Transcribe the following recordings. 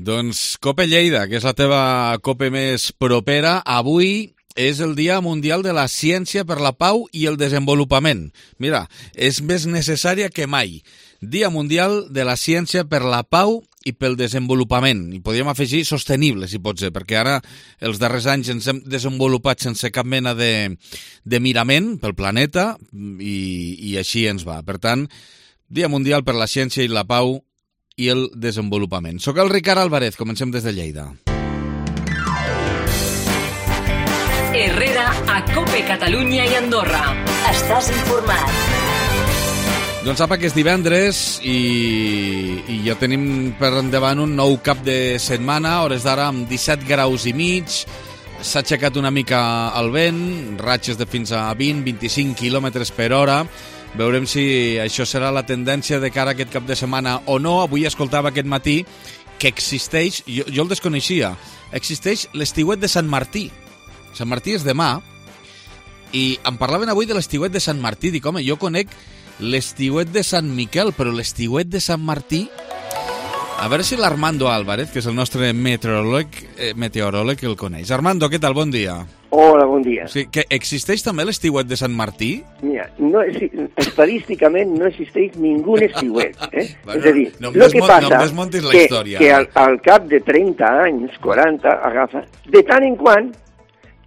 Doncs Cope Lleida, que és la teva Cope més propera, avui és el Dia Mundial de la Ciència per la Pau i el Desenvolupament. Mira, és més necessària que mai. Dia Mundial de la Ciència per la Pau i pel Desenvolupament. I podríem afegir sostenible, si pot ser, perquè ara els darrers anys ens hem desenvolupat sense cap mena de mirament pel planeta i així ens va. Per tant, Dia Mundial per la Ciència i la Pau i el Desenvolupament. Soc el Ricard Álvarez, comencem des de Lleida. Herrera a Cope Catalunya i Andorra. Estàs informat. Doncs apa, que és divendres i ja tenim per endavant un nou cap de setmana, a hores d'ara amb 17 graus i mig, s'ha aixecat una mica el vent, ratxes de fins a 20-25 km per hora. Veurem si això serà la tendència de cara a aquest cap de setmana o no. Avui escoltava aquest matí que existeix, jo el desconeixia, existeix l'estiuet de Sant Martí. Sant Martí és demà i em parlaven avui de l'estiuet de Sant Martí. Dic, home, jo conec l'estiuet de Sant Miquel, però l'estiuet de Sant Martí... A veure si l'Armando Álvarez, que és el nostre meteoròleg, el coneix. Armando, què tal? Bon dia. Hola, bon dia. Sí, que existeix també l'estiuet de Sant Martí? Mira, estadísticament no existeix ningú estiuet. Bueno, és a dir, no el que passa desmontis la història. Que al cap de 30 anys, 40, agafa, de tant en quant,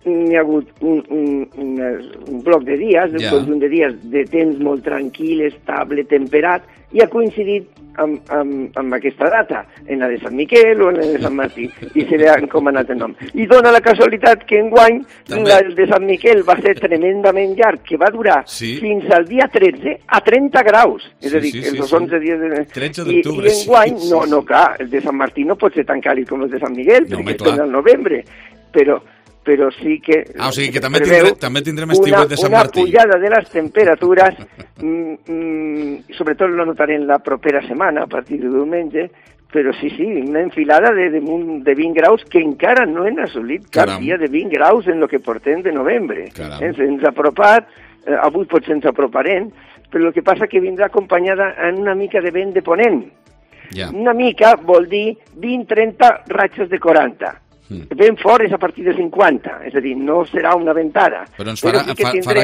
hi ha hagut un bloc de dies, un conjunt de dies de temps molt tranquil, estable, temperat, i ha coincidit amb aquesta data, en la de Sant Miquel o en la de Sant Martí, i se li ha encomanat el nom. I dona la casualitat que enguany el de Sant Miquel va ser tremendament llarg, que va durar fins al dia 13 a 30 graus, és a dir, els 11 dies de... 13 d'octubre, I enguany, no, clar, el de Sant Martí no pot ser tan càlid com el de Sant Miquel, perquè és al novembre, però sí que... o sigui que també tindrem estiuet de Sant Martí. Una pujada de les temperatures, sobretot lo notaré en la propera setmana, a partir de diumenge, però sí, una enfilada de 20 graus que encara no hem assolit cap dia de 20 graus en el que portem de novembre. Ens ha apropat, avui potser ens aproparem, però el que passa que vindrà acompanyada en una mica de vent de ponent. Una mica vol dir 20-30 ratxes de 40. Ben fort és a partir de 50, és a dir, no serà una ventada. Però ens farà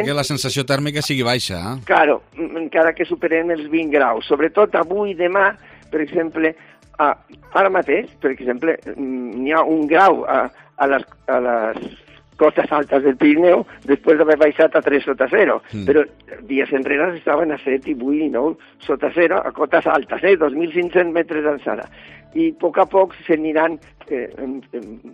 que la sensació tèrmica sigui baixa, eh? Claro, encara que superem els 20 graus. Sobretot avui i demà, per exemple, ara mateix, per exemple, n'hi ha un grau a les costes altes del Pirineu després d'haver baixat a 3 sota 0. Però dies enrere estaven a 7 i 8 i 9 sota 0 a cotes altes, 2.500 metres d'alçada. I a poc s'aniran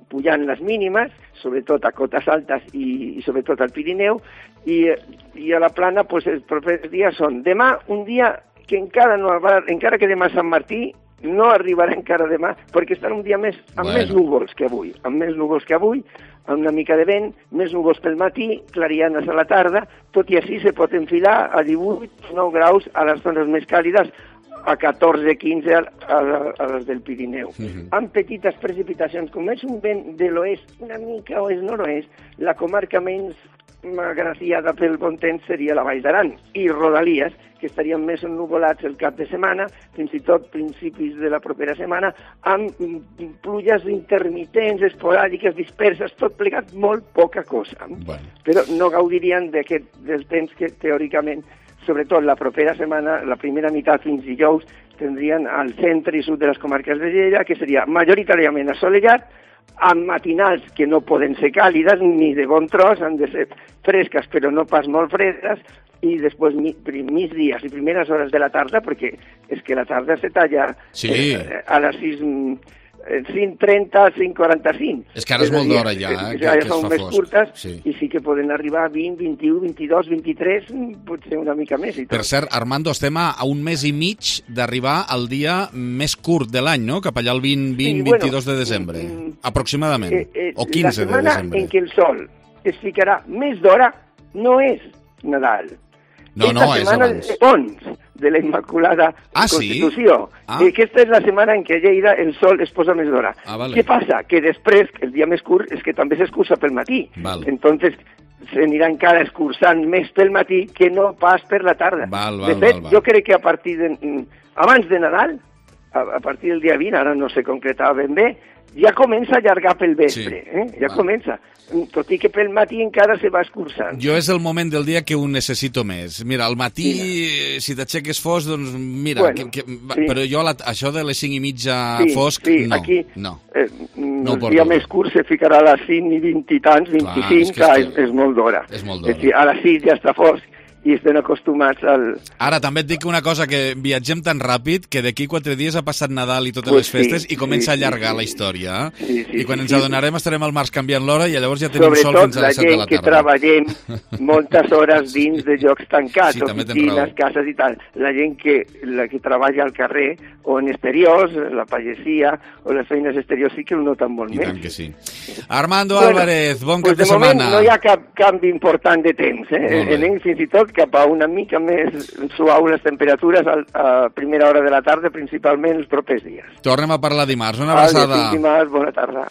pujant les mínimes, sobretot a cotes altes i sobretot al Pirineu, i a la plana els propers dies són demà, un dia que encara que demà Sant Martí no arribarà encara demà, perquè estan un dia amb més núvols que avui, amb una mica de vent, més núvols pel matí, clarianes a la tarda, tot i així se pot enfilar a 18-9 graus a les zones més càlides, a 14-15 a les del Pirineu. Amb petites precipitacions, com és un vent de l'oest, una mica oest-nord-oest, la comarca menys agraciada pel bon temps seria la Vall d'Aran i Rodalies, que estarien més ennuvolats el cap de setmana, fins i tot principis de la propera setmana, amb pluges intermitents, esporàdiques, disperses, tot plegat, molt poca cosa. Però no gaudirien del temps que teòricament, sobretot la propera setmana, la primera meitat fins dijous, tindrien al centre i sud de les comarques de Lleida, que seria majoritàriament assolellat, amb matinals que no poden ser càlides ni de bon tros, han de ser fresques però no pas molt fredes, i després migdies i primeres hores de la tarda, perquè és que la tarda se talla a les 5:30, 5:45. És que ara és molt d'hora ja, que són més curtes, i sí que poden arribar a 20, 21, 22, 23, potser una mica més. Per cert, Armando, estem a un mes i mig d'arribar al dia més curt de l'any, no? Cap allà el 22 de desembre, aproximadament, o 15 de desembre. La setmana en què el sol es ficarà més d'hora no és Nadal. No, és abans. De Pons, de la Immaculada Constitució. Aquesta és la setmana en què a Lleida el sol es posa més d'hora. Què passa? Que després, el dia més curt, és que també s'escurça pel matí. Entonces, s'anirà encara escurçant més pel matí que no pas per la tarda. De fet, jo crec que a partir de... abans de Nadal, a partir del dia 20, ara no se concretava ben bé, ja comença a allargar pel vespre, ja comença. Tot i que pel matí encara se va escurçant. Jo és el moment del dia que ho necessito més. Mira, al matí, si t'aixeques fosc, doncs mira, Bueno, però jo això de les 5:30 fosc, no. Aquí, no el dia més curt se ficarà a les 5 i 20 i tants, 25, és molt d'hora. És molt d'hora. És a dir, a les 6 ja està fosc i estem acostumats al... Ara, també et dic una cosa, que viatgem tan ràpid que d'aquí 4 dies ha passat Nadal i totes les festes i comença a allargar la història. I quan ens adonarem estarem al març canviant l'hora i llavors ja tenim sol fins a les 7 de la tarda. Sobretot la gent que treballem moltes hores dins de llocs tancats, oficines, cases i tal. La gent que treballa al carrer o en exteriors, la pagesia o les feines exteriors sí que ho noten molt més. I tant que sí. Armando Álvarez, bon cap de setmana. De moment no hi ha cap canvi important de temps. Anem fins i tot cap a una mica més suau les temperatures a primera hora de la tarda, principalment els propers dies. Tornem a parlar dimarts. Una abraçada. Dimarts, bona tarda.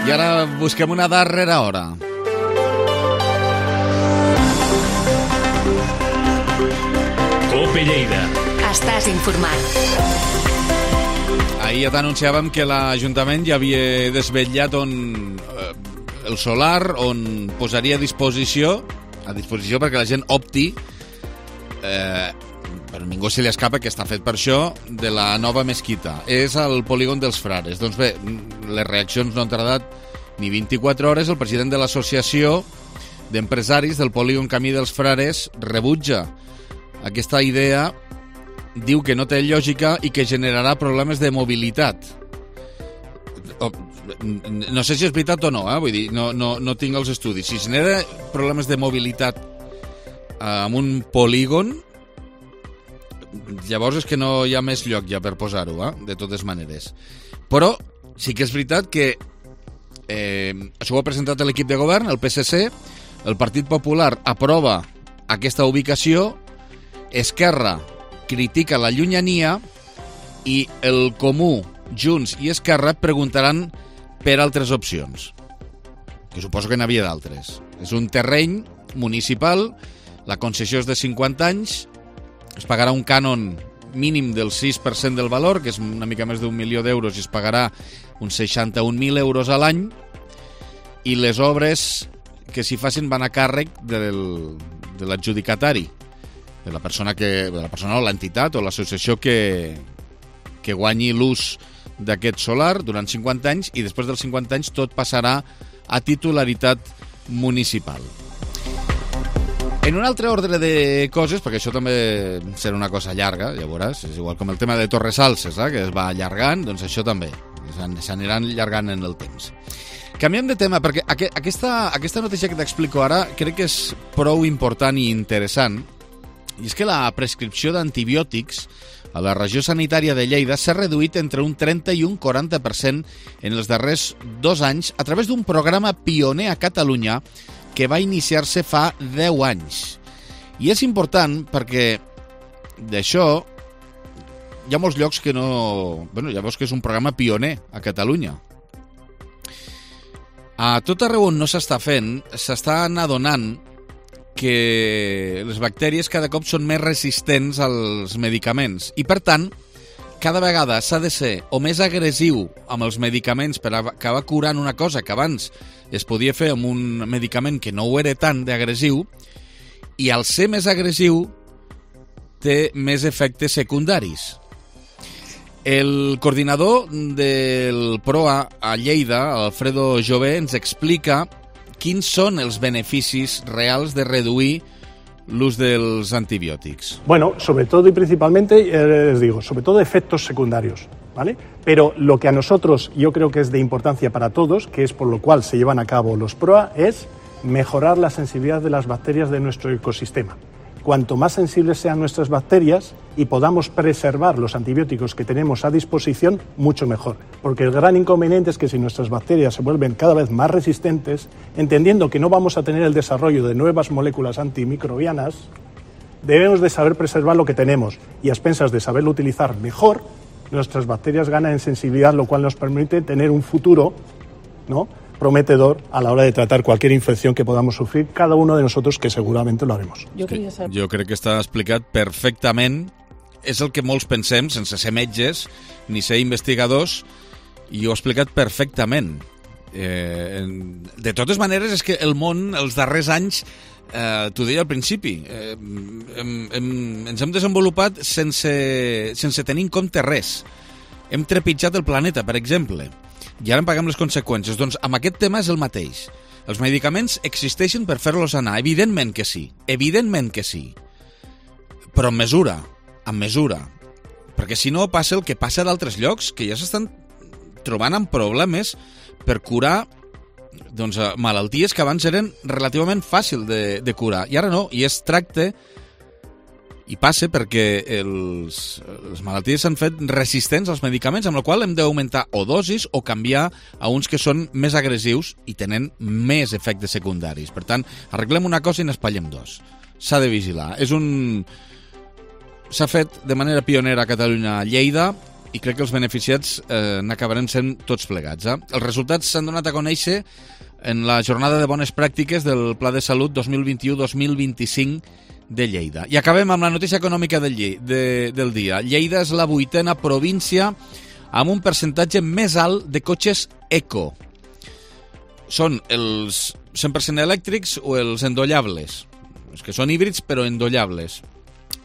I ara busquem una darrera hora. COPE Lleida. Estàs informat. Ahir ja t'anunciàvem que l'Ajuntament ja havia desvetllat el solar on posaria a disposició perquè la gent opti, però ningú se li escapa que està fet per això, de la nova mesquita. És al polígon dels Frares. Doncs bé, les reaccions no han tardat ni 24 hores. El president de l'associació d'empresaris del polígon Camí dels Frares rebutja aquesta idea, diu que no té lògica i que generarà problemes de mobilitat. No sé si és veritat o no, vull dir, no tinc els estudis. Si genera problemes de mobilitat en un polígon, llavors és que no hi ha més lloc ja per posar-ho, de totes maneres. Però sí que és veritat que això ho ha presentat l'equip de govern, el PSC, el Partit Popular aprova aquesta ubicació, Esquerra critica la llunyania i el Comú, Junts i Esquerra preguntaran per altres opcions, que suposo que n'havia d'altres. És un terreny municipal, la concessió és de 50 anys, es pagarà un cànon mínim del 6% del valor, que és una mica més d'1 milió d'euros, i es pagarà uns 61.000 euros a l'any, i les obres que s'hi facin van a càrrec de l'adjudicatari, de la persona o l'entitat o l'associació que guanyi l'ús d'aquest solar durant 50 anys, i després dels 50 anys tot passarà a titularitat municipal. En un altre ordre de coses, perquè això també serà una cosa llarga, ja veuràs, és igual com el tema de Torres Salses, que es va allargant, doncs això també s'aniran allargant en el temps. Canviem de tema, perquè aquesta notícia que t'explico ara crec que és prou important i interessant, i és que la prescripció d'antibiòtics a la regió sanitària de Lleida s'ha reduït entre un 30 i un 40% en els darrers 2 anys a través d'un programa pioner a Catalunya que va iniciar-se fa 10 anys. I és important perquè d'això hi ha molts llocs que no... ja veus que és un programa pioner a Catalunya. A tot arreu on no s'està fent, s'estan adonant que les bactèries cada cop són més resistents als medicaments i, per tant, cada vegada s'ha de ser o més agressiu amb els medicaments per acabar curant una cosa que abans es podia fer amb un medicament que no ho era tant d'agressiu, i al ser més agressiu té més efectes secundaris. El coordinador del PROA a Lleida, Alfredo Jové, ens explica quins són els beneficis reals de reduir l'ús dels antibióticos. Bueno, sobre todo y principalmente, les digo, sobre todo efectos secundarios, ¿vale? Pero lo que a nosotros yo creo que es de importancia para todos, que es por lo cual se llevan a cabo los PROA, es mejorar la sensibilidad de las bacterias de nuestro ecosistema. Cuanto más sensibles sean nuestras bacterias y podamos preservar los antibióticos que tenemos a disposición, mucho mejor. Porque el gran inconveniente es que si nuestras bacterias se vuelven cada vez más resistentes, entendiendo que no vamos a tener el desarrollo de nuevas moléculas antimicrobianas, debemos de saber preservar lo que tenemos y a expensas de saberlo utilizar mejor, nuestras bacterias ganan en sensibilidad, lo cual nos permite tener un futuro, ¿no?, prometedor a la hora de tratar cualquier infección que podamos sufrir cada uno de nosotros, que segurament lo haremos. Jo crec que està explicat perfectament és el que molts pensem, sense ser metges ni ser investigadors, i ho ha explicat perfectament. De totes maneres, és que el món, els darrers anys, t'ho deia al principi, ens hem desenvolupat sense tenir en compte res. Hem trepitjat el planeta, per exemple, i ara en paguem les conseqüències. Doncs amb aquest tema és el mateix. Els medicaments existeixen per fer-los anar, evidentment que sí, però amb mesura, perquè si no passa el que passa d'altres llocs, que ja s'estan trobant amb problemes per curar malalties que abans eren relativament fàcil de curar, i ara no, i es tracta, i passa perquè les malalties s'han fet resistents als medicaments, amb la qual hem d'augmentar o dosis o canviar a uns que són més agressius i tenen més efectes secundaris. Per tant, arreglem una cosa i n'espallem dos. S'ha de vigilar. S'ha fet de manera pionera a Catalunya, a Lleida, i crec que els beneficiats n'acabaran sent tots plegats. Els resultats s'han donat a conèixer en la jornada de bones pràctiques del Pla de Salut 2021-2025 de Lleida. I acabem amb la notícia econòmica del dia. Lleida és la 8ª província amb un percentatge més alt de cotxes eco. Són els 100% elèctrics o els endollables. Els que són híbrids però endollables.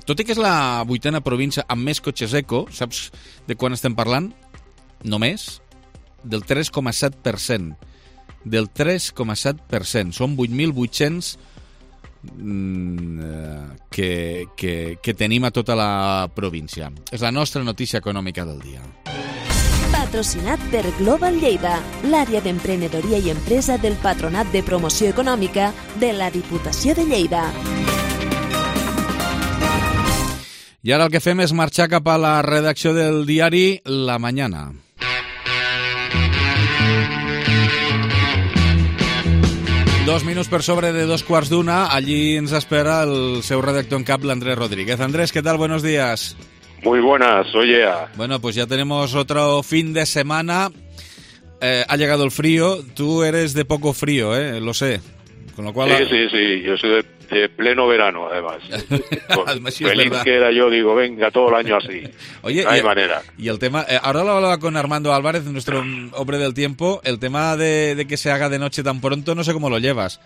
Tot i que és la 8ª província amb més cotxes eco, saps de quan estem parlant? Només del 3,7%. Del 3,7%. Són 8.800 que tenim a tota la província. És la nostra notícia econòmica del dia. Patrocinat per Global Lleida, l'àrea d'emprenedoria i empresa del Patronat de Promoció Econòmica de la Diputació de Lleida. I ara el que fem és marxar cap a la redacció del diari La Mañana. Dos minuts per sobre de 2:15, allí ens espera el seu redactor en cap, l'Andrés Rodríguez. Andrés, ¿qué tal? Buenos días. Muy buenas, soy Ea. Bueno, pues ya tenemos otro fin de semana. Ha llegado el frío. Tú eres de poco frío, lo sé. Con lo cual... Sí. Yo soy de pleno verano, además. Sí, feliz que era yo, digo, venga, todo el año así. Oye, no hay manera. Y el tema... ahora lo hablaba con Armando Álvarez, nuestro hombre del tiempo. El tema de que se haga de noche tan pronto, no sé cómo lo llevas.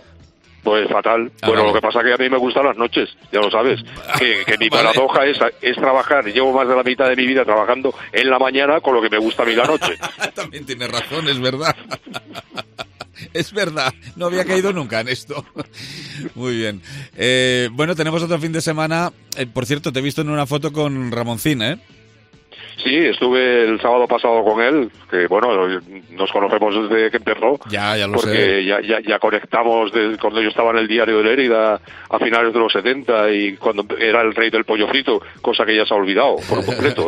Pues fatal. Bueno, lo que pasa es que a mí me gustan las noches, ya lo sabes. Que mi paradoja es trabajar. Llevo más de la mitad de mi vida trabajando en la mañana con lo que me gusta a mí la noche. También tienes razón, es verdad. Es verdad, no había caído nunca en esto. Muy bien. Bueno, tenemos otro fin de semana. Por cierto, te he visto en una foto con Ramoncín, ¿eh? Sí, estuve el sábado pasado con él, que bueno, nos conocemos desde que empezó. Ya lo sé. Porque ya conectamos cuando yo estaba en el diario de Lérida a finales de los 70 y cuando era el rey del pollo frito, cosa que ya se ha olvidado por completo.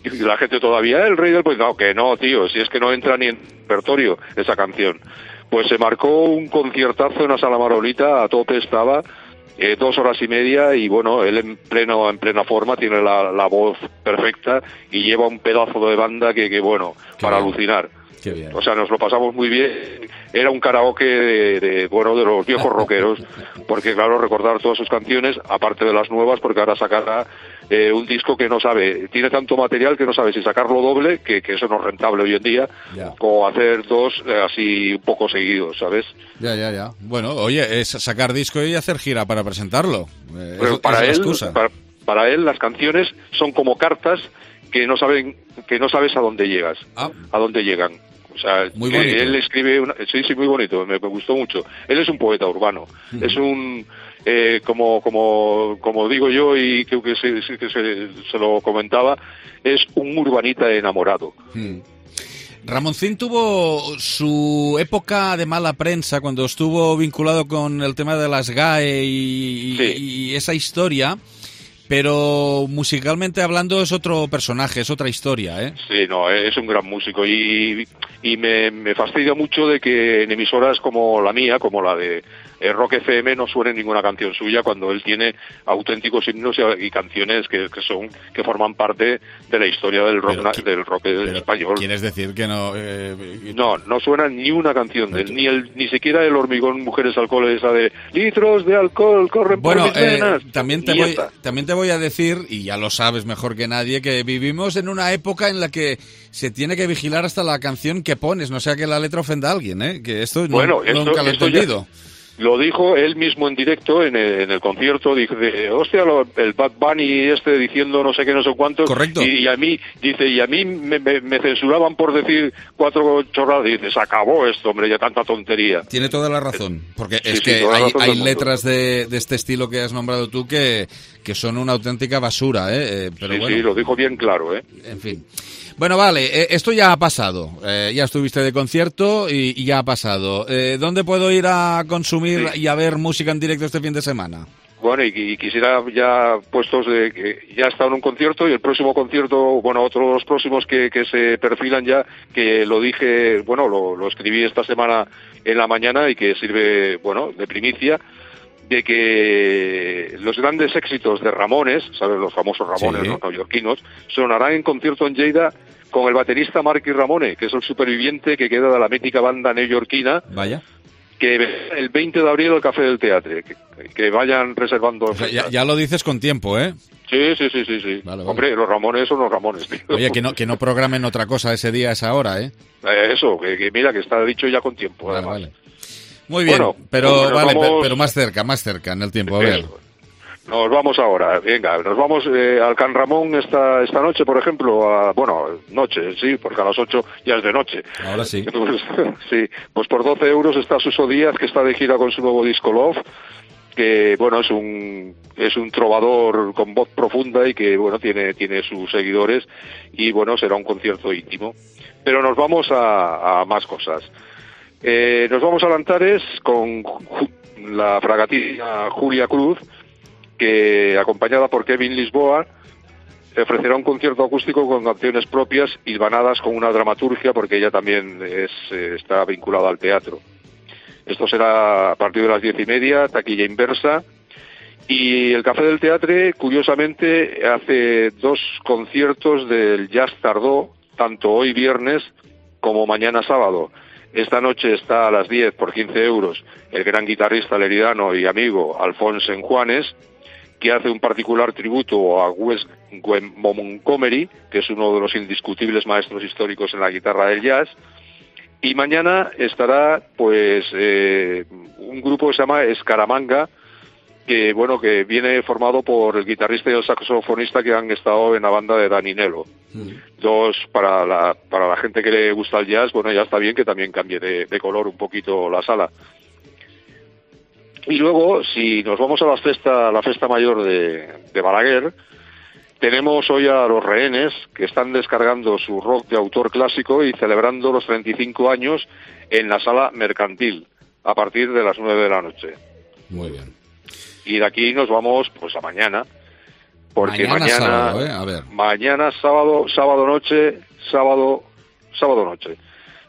Y la gente todavía, el rey del pollo, no, que no, tío, si es que no entra ni en repertorio esa canción. Pues se marcó un conciertazo en la Sala Marolita, a tope estaba, 2 horas y media, y bueno, él en plena forma, tiene la voz perfecta y lleva un pedazo de banda que bueno, para alucinar. Qué bien. O sea, nos lo pasamos muy bien. Era un karaoke de los viejos rockeros, porque claro, recordar todas sus canciones, aparte de las nuevas, porque ahora sacará un disco que no sabe, tiene tanto material que no sabe si sacarlo doble, que eso no es rentable hoy en día, o hacer 2 así un poco seguidos, ¿sabes? Ya. Bueno, oye, es sacar disco y hacer gira para presentarlo. Pero para él las canciones son como cartas que no sabes a dónde llegas, a dónde llegan. O sea, muy bonito. Él escribe sí, muy bonito, me gustó mucho. Él es un poeta urbano, es un como digo yo, y creo que se lo comentaba, es un urbanita enamorado. Ramoncín tuvo su época de mala prensa cuando estuvo vinculado con el tema de las GAE y esa historia. Pero musicalmente hablando es otro personaje, es otra historia, ¿eh? Sí, no, es un gran músico y me fastidia mucho de que en emisoras como la mía, como la de Rock FM, no suene ninguna canción suya cuando él tiene auténticos himnos y canciones que forman parte de la historia del rock español. ¿Quieres decir que no? No suena ni una canción de él, ni siquiera El hormigón, mujeres, alcohol, esa de litros de alcohol corren por mis venas. También te voy a decir, y ya lo sabes mejor que nadie, que vivimos en una época en la que se tiene que vigilar hasta la canción que pones, no sea que la letra ofenda a alguien, ¿eh? Que esto bueno, nunca lo he entendido. Lo dijo él mismo en directo en el concierto, dice, hostia, el Bad Bunny diciendo no sé qué, no sé cuánto. Correcto. Y a mí me censuraban por decir 4 chorradas. Y dice, se acabó esto, hombre, ya tanta tontería. Tiene toda la razón, porque Sí, es sí, que toda la razón hay del mundo. letras de este estilo que has nombrado tú que son una auténtica basura, ¿eh? Pero Sí, bueno, sí, lo dijo bien claro, ¿eh? en fin. Bueno, vale, esto ya ha pasado. Ya estuviste de concierto y ya ha pasado. ¿Dónde puedo ir a consumir y a ver música en directo este fin de semana? Bueno, y quisiera ya puestos de que ya he estado en un concierto y el próximo concierto, bueno, otros próximos que se perfilan ya, que lo dije, bueno, lo escribí esta semana en la mañana y que sirve, bueno, de primicia, de que los grandes éxitos de Ramones, ¿sabes? Los famosos Ramones, Sí. los neoyorquinos, sonarán en concierto en Lleida con el baterista Marky Ramone, que es el superviviente que queda de la mítica banda neoyorquina, Vaya. que el 20 de abril al Café del Teatre, que vayan reservando. O sea, ya lo dices con tiempo, ¿eh? Sí. Vale. Hombre, los Ramones son los Ramones, tío. Oye, que no programen otra cosa ese día, a esa hora, ¿eh? Eso, que mira, que está dicho ya con tiempo, Vale, además. vale. Muy bien, Bueno, pero nos vale, vamos- pero más cerca en el tiempo, a ver. Eso. Nos vamos ahora, venga, nos vamos al Can Ramón esta noche, por ejemplo, noche, sí, porque a las 8 ya es de noche. Ahora sí. Pues, sí, pues por 12 euros está Suso Díaz, que está de gira con su nuevo disco Love, que, bueno, es un trovador con voz profunda y que, bueno, tiene sus seguidores y, bueno, será un concierto íntimo. Pero nos vamos a más cosas. Nos vamos a Lantares con la fragatina Julia Cruz, que acompañada por Kevin Lisboa ofrecerá un concierto acústico con canciones propias hilvanadas con una dramaturgia, porque ella también está vinculada al teatro. Esto será a partir de las 10:30, taquilla inversa. Y el Café del Teatre, curiosamente, hace 2 conciertos del Jazz Tardó, tanto hoy viernes como mañana sábado. Esta noche está a las 10 por 15 euros el gran guitarrista leridano y amigo Alfonso Enjuanes, que hace un particular tributo a Wes Montgomery, que es uno de los indiscutibles maestros históricos en la guitarra del jazz. Y mañana estará, pues, un grupo que se llama Escaramanga, que, bueno, que viene formado por el guitarrista y el saxofonista que han estado en la banda de Danny Nello. Dos, para la gente que le gusta el jazz, bueno, ya está bien que también cambie de color un poquito la sala. Y luego, si nos vamos a la festa mayor de Balaguer, tenemos hoy a Los Rehenes, que están descargando su rock de autor clásico y celebrando los 35 años en la sala mercantil, a partir de las 9 de la noche. Muy bien. Y de aquí nos vamos, pues, a mañana. Porque Mañana sábado, a ver. Mañana sábado noche.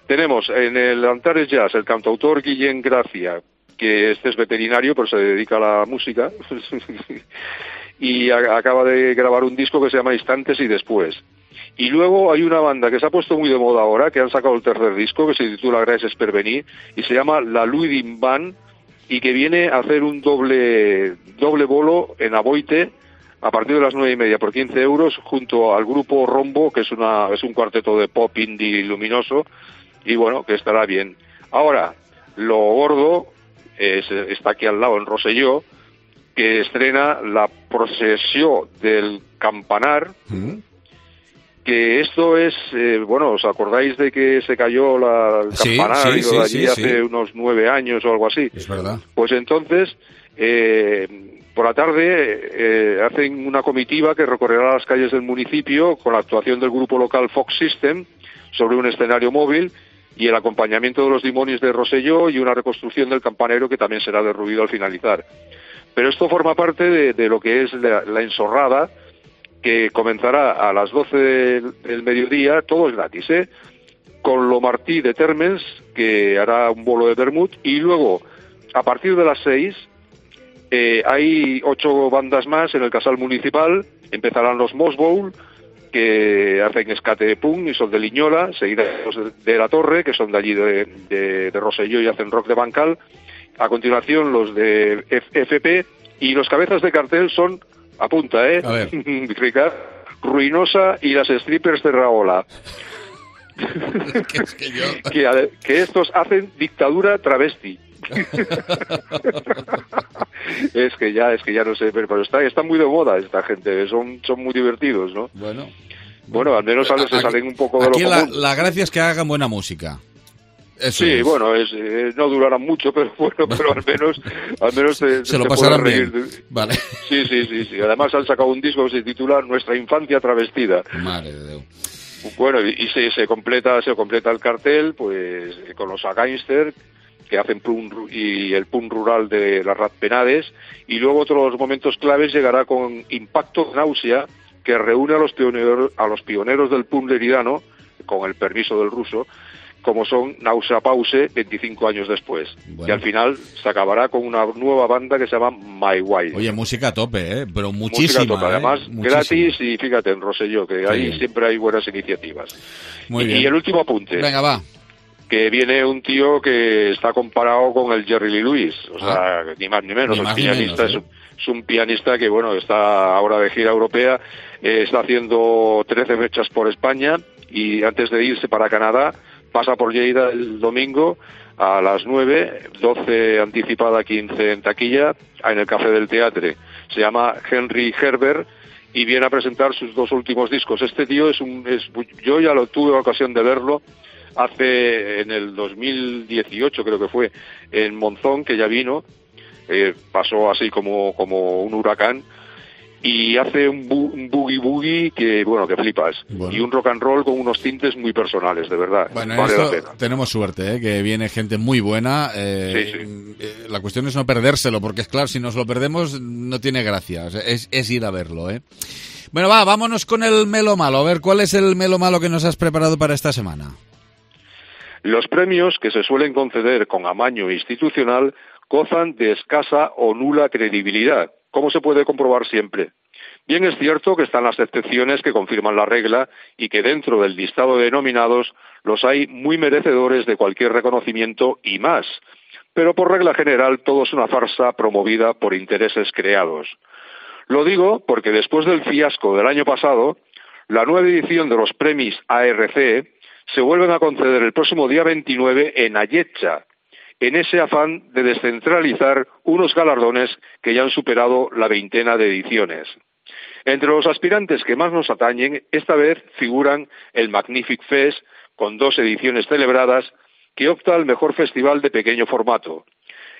Tenemos en el Antares Jazz el cantautor Guillén Gracia, que este es veterinario, pero se dedica a la música, y acaba de grabar un disco que se llama Instantes y Después. Y luego hay una banda que se ha puesto muy de moda ahora, que han sacado el tercer disco, que se titula Gràcies per venir, y se llama La Luidin Band, y que viene a hacer un doble bolo en Aboite a partir de las 9:30 por 15 euros, junto al grupo Rombo, que es un cuarteto de pop indie luminoso, y bueno, que estará bien. Ahora, lo gordo está aquí al lado, en Rosselló, que estrena La Procesión del Campanar, que esto es, bueno, ¿os acordáis de que se cayó el Sí, campanario sí, allí hace sí. unos 9 años o algo así? Es verdad. Pues entonces, por la tarde hacen una comitiva que recorrerá las calles del municipio con la actuación del grupo local Fox System sobre un escenario móvil y el acompañamiento de los Dimonis de Rosselló y una reconstrucción del campanero que también será derruido al finalizar. Pero esto forma parte de lo que es la ensorrada, que comenzará a las 12 del mediodía, todo es gratis, con Lo Martí de Térmens, que hará un bolo de vermut, y luego, a partir de las 6, hay 8 bandas más en el Casal Municipal. Empezarán los Moss Bowl, que hacen escate punk y son de Liñola, seguidos de La Torre, que son de allí de Rosselló y hacen rock de Bancal. A continuación los de FP, y los cabezas de cartel son Apunta, ¿eh? A ver. Ricardo, Ruinosa y las strippers de Raola. Es que yo... que estos hacen dictadura travesti. es que ya no sé, pero está muy de moda esta gente, son muy divertidos, ¿no? Bueno, al menos se salen un poco de lo común. La gracia es que hagan buena música. Eso sí, es. Bueno, no durarán mucho, pero bueno, pero al menos se lo pasarán bien. Vale. Sí. Además han sacado un disco que se titula Nuestra infancia travestida. Madre de Dios. Bueno, y se completa el cartel, pues, con los Againster, que hacen y el punk rural de las Ratpenades, y luego otros momentos claves llegará con Impacto Náusea, que reúne a los pioneros del punk leridano, con el permiso del ruso, como son Náusea Pause 25 años después. Bueno. Y al final se acabará con una nueva banda que se llama My Wild. Oye, música a tope, ¿eh? Pero muchísima. Música a tope, además muchísima. Gratis, y fíjate, en Rosselló, que ahí siempre hay buenas iniciativas. Muy bien. Y el último apunte. Venga, va. Que viene un tío que está comparado con el Jerry Lee Lewis, o sea, ni más ni menos. Es un pianista que, bueno, está ahora de gira europea, está haciendo 13 fechas por España, y antes de irse para Canadá pasa por Lleida el domingo a las 9, 12 anticipada, 15 en taquilla, en el Café del Teatre. Se llama Henry Herbert y viene a presentar sus 2 últimos discos. Este tío yo ya tuve ocasión de verlo en el 2018, creo que fue, en Monzón, que ya vino, pasó así como un huracán, y hace un boogie que, bueno, que flipas. Bueno. Y un rock and roll con unos tintes muy personales, de verdad. Bueno, vale la pena. Tenemos suerte, que viene gente muy buena. Sí. La cuestión es no perdérselo, porque es claro, si nos lo perdemos no tiene gracia. O sea, es ir a verlo, Bueno, vámonos con el Melo Malo. A ver, ¿cuál es el Melo Malo que nos has preparado para esta semana? Los premios, que se suelen conceder con amaño institucional, gozan de escasa o nula credibilidad, como se puede comprobar siempre. Bien es cierto que están las excepciones que confirman la regla y que dentro del listado de nominados los hay muy merecedores de cualquier reconocimiento y más, pero por regla general todo es una farsa promovida por intereses creados. Lo digo porque después del fiasco del año pasado, la nueva edición de los premios ARC se vuelven a conceder el próximo día 29 en Ayetxa, en ese afán de descentralizar unos galardones que ya han superado la 20 de ediciones. Entre los aspirantes que más nos atañen, esta vez figuran el Magnific Fest, con 2 ediciones celebradas, que opta al mejor festival de pequeño formato,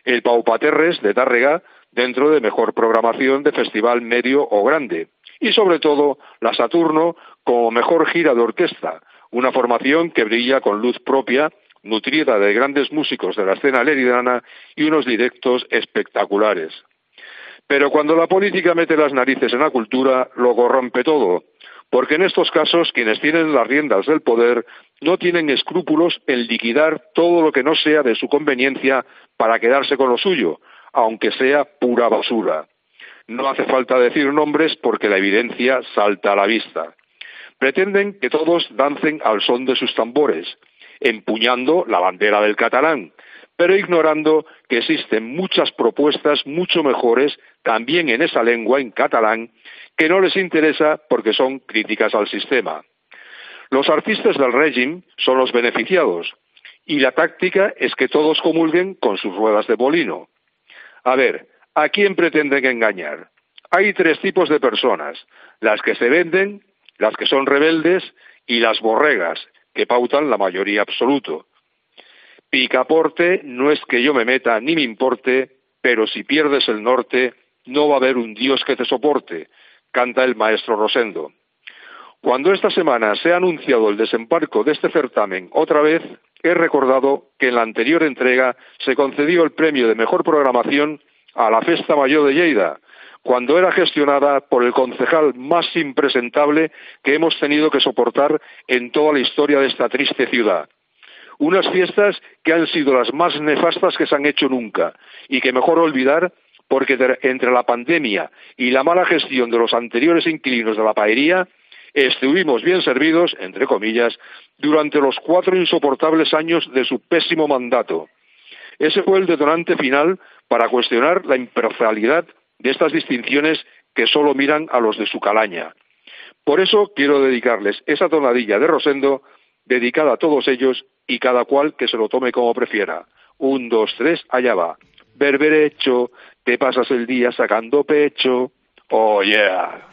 el Paupaterres de Tárrega, dentro de mejor programación de festival medio o grande, y sobre todo la Saturno como mejor gira de orquesta, una formación que brilla con luz propia, nutrida de grandes músicos de la escena leridana y unos directos espectaculares. Pero cuando la política mete las narices en la cultura, lo corrompe todo, porque en estos casos quienes tienen las riendas del poder no tienen escrúpulos en liquidar todo lo que no sea de su conveniencia para quedarse con lo suyo, aunque sea pura basura. No hace falta decir nombres porque la evidencia salta a la vista. Pretenden que todos dancen al son de sus tambores, empuñando la bandera del catalán, pero ignorando que existen muchas propuestas mucho mejores también en esa lengua, en catalán, que no les interesa porque son críticas al sistema. Los artistas del régimen son los beneficiados, y la táctica es que todos comulguen con sus ruedas de molino. A ver, ¿a quién pretenden engañar? Hay 3 tipos de personas: las que se venden, las que son rebeldes y las borregas, que pautan la mayoría absoluta. Picaporte no es que yo me meta ni me importe, pero si pierdes el norte, no va a haber un Dios que te soporte, canta el maestro Rosendo. Cuando esta semana se ha anunciado el desembarco de este certamen otra vez, he recordado que en la anterior entrega se concedió el premio de mejor programación a la Festa Mayor de Lleida, cuando era gestionada por el concejal más impresentable que hemos tenido que soportar en toda la historia de esta triste ciudad. Unas fiestas que han sido las más nefastas que se han hecho nunca y que mejor olvidar porque entre la pandemia y la mala gestión de los anteriores inquilinos de la paería estuvimos bien servidos, entre comillas, durante los 4 insoportables años de su pésimo mandato. Ese fue el detonante final para cuestionar la imparcialidad de estas distinciones que solo miran a los de su calaña. Por eso quiero dedicarles esa tonadilla de Rosendo dedicada a todos ellos y cada cual que se lo tome como prefiera. 1, 2, 3, allá va. Berberecho, te pasas el día sacando pecho. Oh, yeah.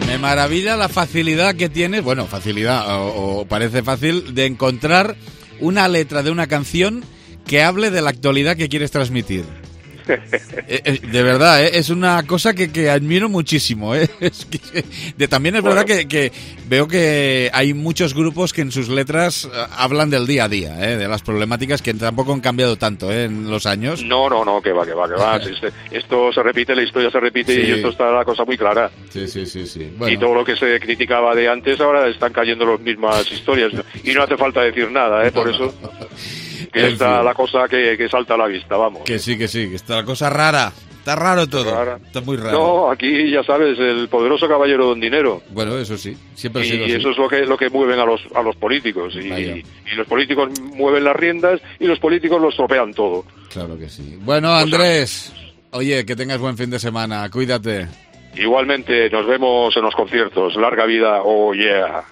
Me maravilla la facilidad que tienes, bueno, facilidad, o parece fácil, de encontrar una letra de una canción que hable de la actualidad que quieres transmitir. De verdad, es una cosa que admiro muchísimo. También es verdad que veo que hay muchos grupos que en sus letras hablan del día a día, de las problemáticas que tampoco han cambiado tanto en los años. No, que va. Esto se repite, la historia se repite, sí. Y esto está la cosa muy clara. Sí. Bueno. Y todo lo que se criticaba de antes ahora están cayendo las mismas historias. Y no hace falta decir nada, por eso... Que está la cosa que salta a la vista, vamos. Que sí, que está la cosa rara. Está raro todo. Está muy raro. No, aquí ya sabes, el poderoso caballero don dinero. Bueno, eso sí, siempre ha sido así. Y eso es lo que mueven a los políticos. Y los políticos mueven las riendas y los políticos los tropean todo. Claro que sí. Bueno, Andrés, oye, que tengas buen fin de semana. Cuídate. Igualmente, nos vemos en los conciertos. Larga vida, oh yeah.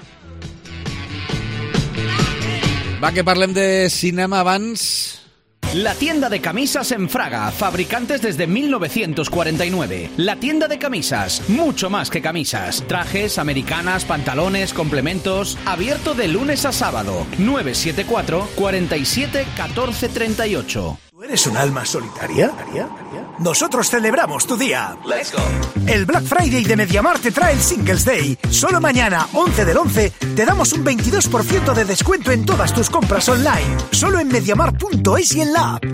Va, que parlem de cinema abans. La tienda de camisas en Fraga, fabricantes desde 1949. La tienda de camisas, mucho más que camisas. Trajes, americanas, pantalones, complementos. Abierto de lunes a sábado. 974 47 14 38. ¿Tú eres un alma solitaria? Nosotros celebramos tu día. Let's go. El Black Friday de MediaMarkt te trae el Singles Day. Solo mañana, 11 del 11, te damos un 22% de descuento en todas tus compras online. Solo en MediaMarkt.es y en la app.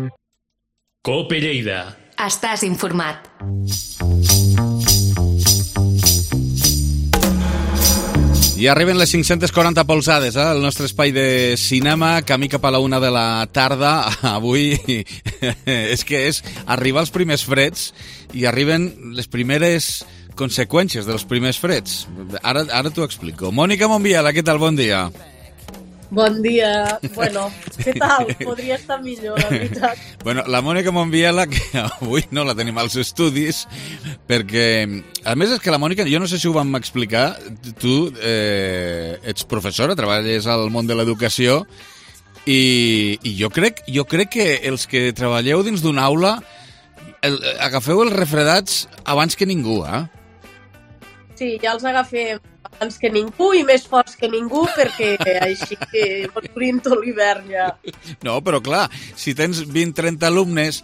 Cope Lleida. Estàs informat. I arriben les 540 polzades, el nostre espai de cinema, camí cap a la 1 de la tarda. Avui és arribar els primers freds i arriben les primeres conseqüències dels primers freds. Ara t'ho explico. Mònica Monbiela, què tal? Bon dia. Bon dia. Bueno, què tal? Podria estar millor, la veritat. Bueno, la Mònica Monbiela, que avui no la tenim als estudis, perquè, a més, és que la Mònica, jo no sé si ho vam explicar, tu ets professora, treballes al món de l'educació, i jo crec que els que treballeu dins d'una aula agafeu els refredats abans que ningú, Sí, ja els agafem abans que ningú i més forts que ningú, perquè així que pot obrir tot l'hivern ja. No, però clar, si tens 20-30 alumnes,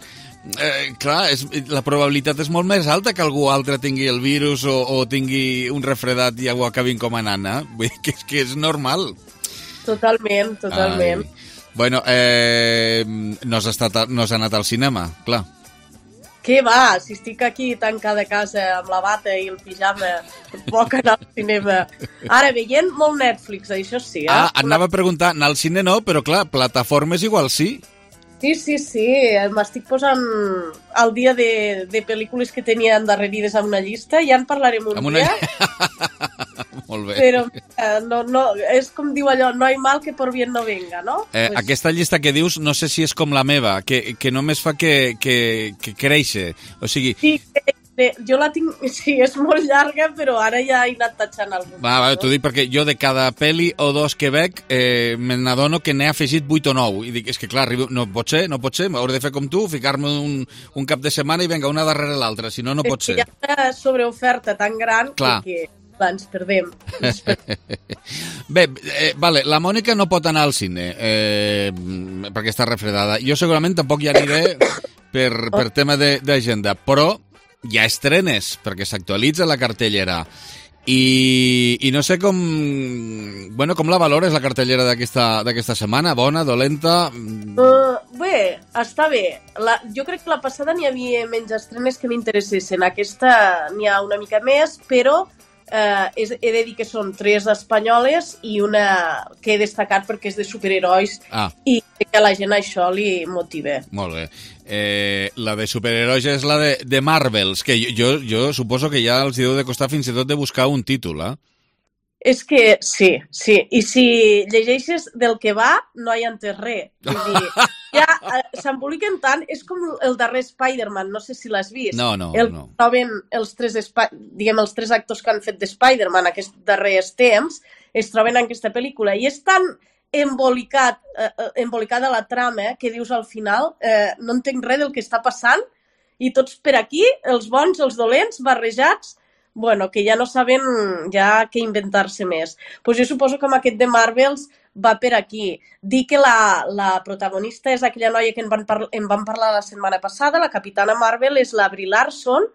clar, la probabilitat és molt més alta que algú altre tingui el virus o tingui un refredat i ho acabi encomanant, Vull dir que és normal. Totalment. Ai. Bueno, no has anat al cinema, clar. Què va? Si estic aquí tancada a casa amb la bata i el pijama, puc anar al cinema. Ara, veient molt Netflix, això sí. Anava a preguntar, anar al cine no, però clar, plataformes igual sí. Sí, m'estic posant al dia de pel·lícules que tenia endarrerides a una llista, ja en parlarem un dia. Molt bé. Però no, és com diu allò, no hay mal que por bien no venga, no? Aquesta llista que dius, no sé si és com la meva, que només fa que créixer. O sigui... Sí, jo la tinc... Sí, és molt llarga, però ara ja he anat tatxant algun. Va, t'ho dic perquè jo de cada pel·li o dos que veig me n'adono que n'he afegit 8 o 9. I dic, és que clar, no pot ser, hauré de fer com tu, ficar-me un cap de setmana i venga, una darrere l'altra, si no, no pot ser. És que hi ha una sobreoferta tan gran que ens perdem. Bé, vale, la Mònica no pot anar al cine perquè està refredada. Jo segurament tampoc hi aniré per tema d'agenda, però hi ha estrenes, perquè s'actualitza la cartellera. I no sé com la valores, la cartellera d'aquesta setmana? Bona, dolenta? Bé, està bé. Jo crec que la passada n'hi havia menys estrenes que m'interessessin. Aquesta n'hi ha una mica més, però he de dir que són 3 espanyoles i una que he destacat perquè és de superherois i que a la gent això li motiva. Molt bé. La de superherois és la de Marvels, que jo suposo que ja els deu de costar fins i tot de buscar un títol, És que sí. I si llegeixes del que va, no hi ha entès res. Vull dir, ja s'emboliquen tant, és com el darrer Spider-Man, no sé si l'has vist. No. Troben els tres actors que han fet de Spider-Man aquests darrers temps, es troben en aquesta pel·lícula, i és tan embolicada la trama que dius al final no entenc res del que està passant i tots per aquí, els bons, els dolents, barrejats, bueno, que ja no saben ja què inventar-se més. Pues jo suposo que amb aquest de Marvels va per aquí. Dir que la protagonista és aquella noia que en van parlar la setmana passada, la Capitana Marvel és la Brie Larson,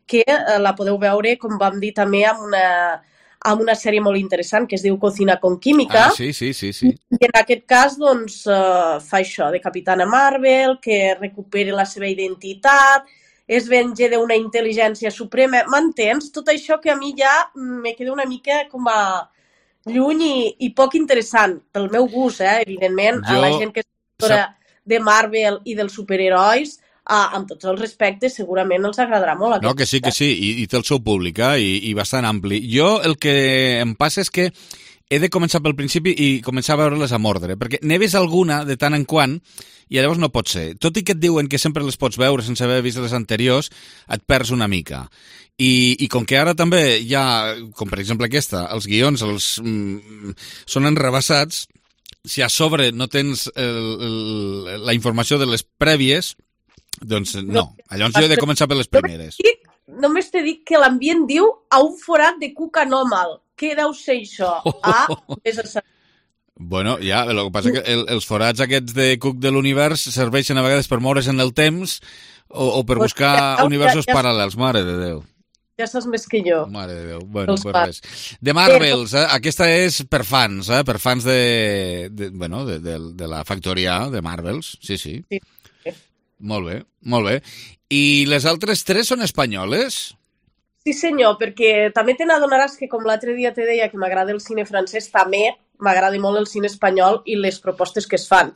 que la podeu veure, com vam dir també, amb una sèrie molt interessant que es diu Cocina con Química. Sí. I en aquest cas, doncs, fa això, de Capitana Marvel, que recupera la seva identitat, es venja d'una intel·ligència suprema. M'entens? Tot això que a mi ja me queda una mica com a lluny i poc interessant, pel meu gust, evidentment, a la gent que és autora de Marvel i dels superherois, amb tots els respectes, segurament els agradarà molt. No, que sí, i té el seu públic, i bastant ampli. Jo el que em passa és que he de començar pel principi i començar a veure-les amb ordre, perquè n'he vist alguna de tant en quant i llavors no pot ser. Tot i que et diuen que sempre les pots veure sense haver vist les anteriors, et perds una mica. I com que ara també hi ha, com per exemple aquesta, els guions són enrebaçats, si a sobre no tens la informació de les prèvies, doncs no. Llavors jo he de començar per les primeres. Només t'he dit que l'ambient diu a un forat de cuc anòmal. Què deu ser això? Bueno, ja, el que passa que els forats aquests de cuc de l'univers serveixen a vegades per moure's en el temps o per buscar universos paral·lels. Mare de Déu. Ja saps més que jo. Mare de Déu. Bueno, pues res. De Marvels, aquesta és per fans, per fans de la factoria de Marvels. Sí. Molt bé, molt bé. I les altres tres són espanyoles? Sí, senyor, perquè també te n'adonaràs que, com l'altre dia te deia que m'agrada el cine francès, també m'agrada molt el cine espanyol i les propostes que es fan.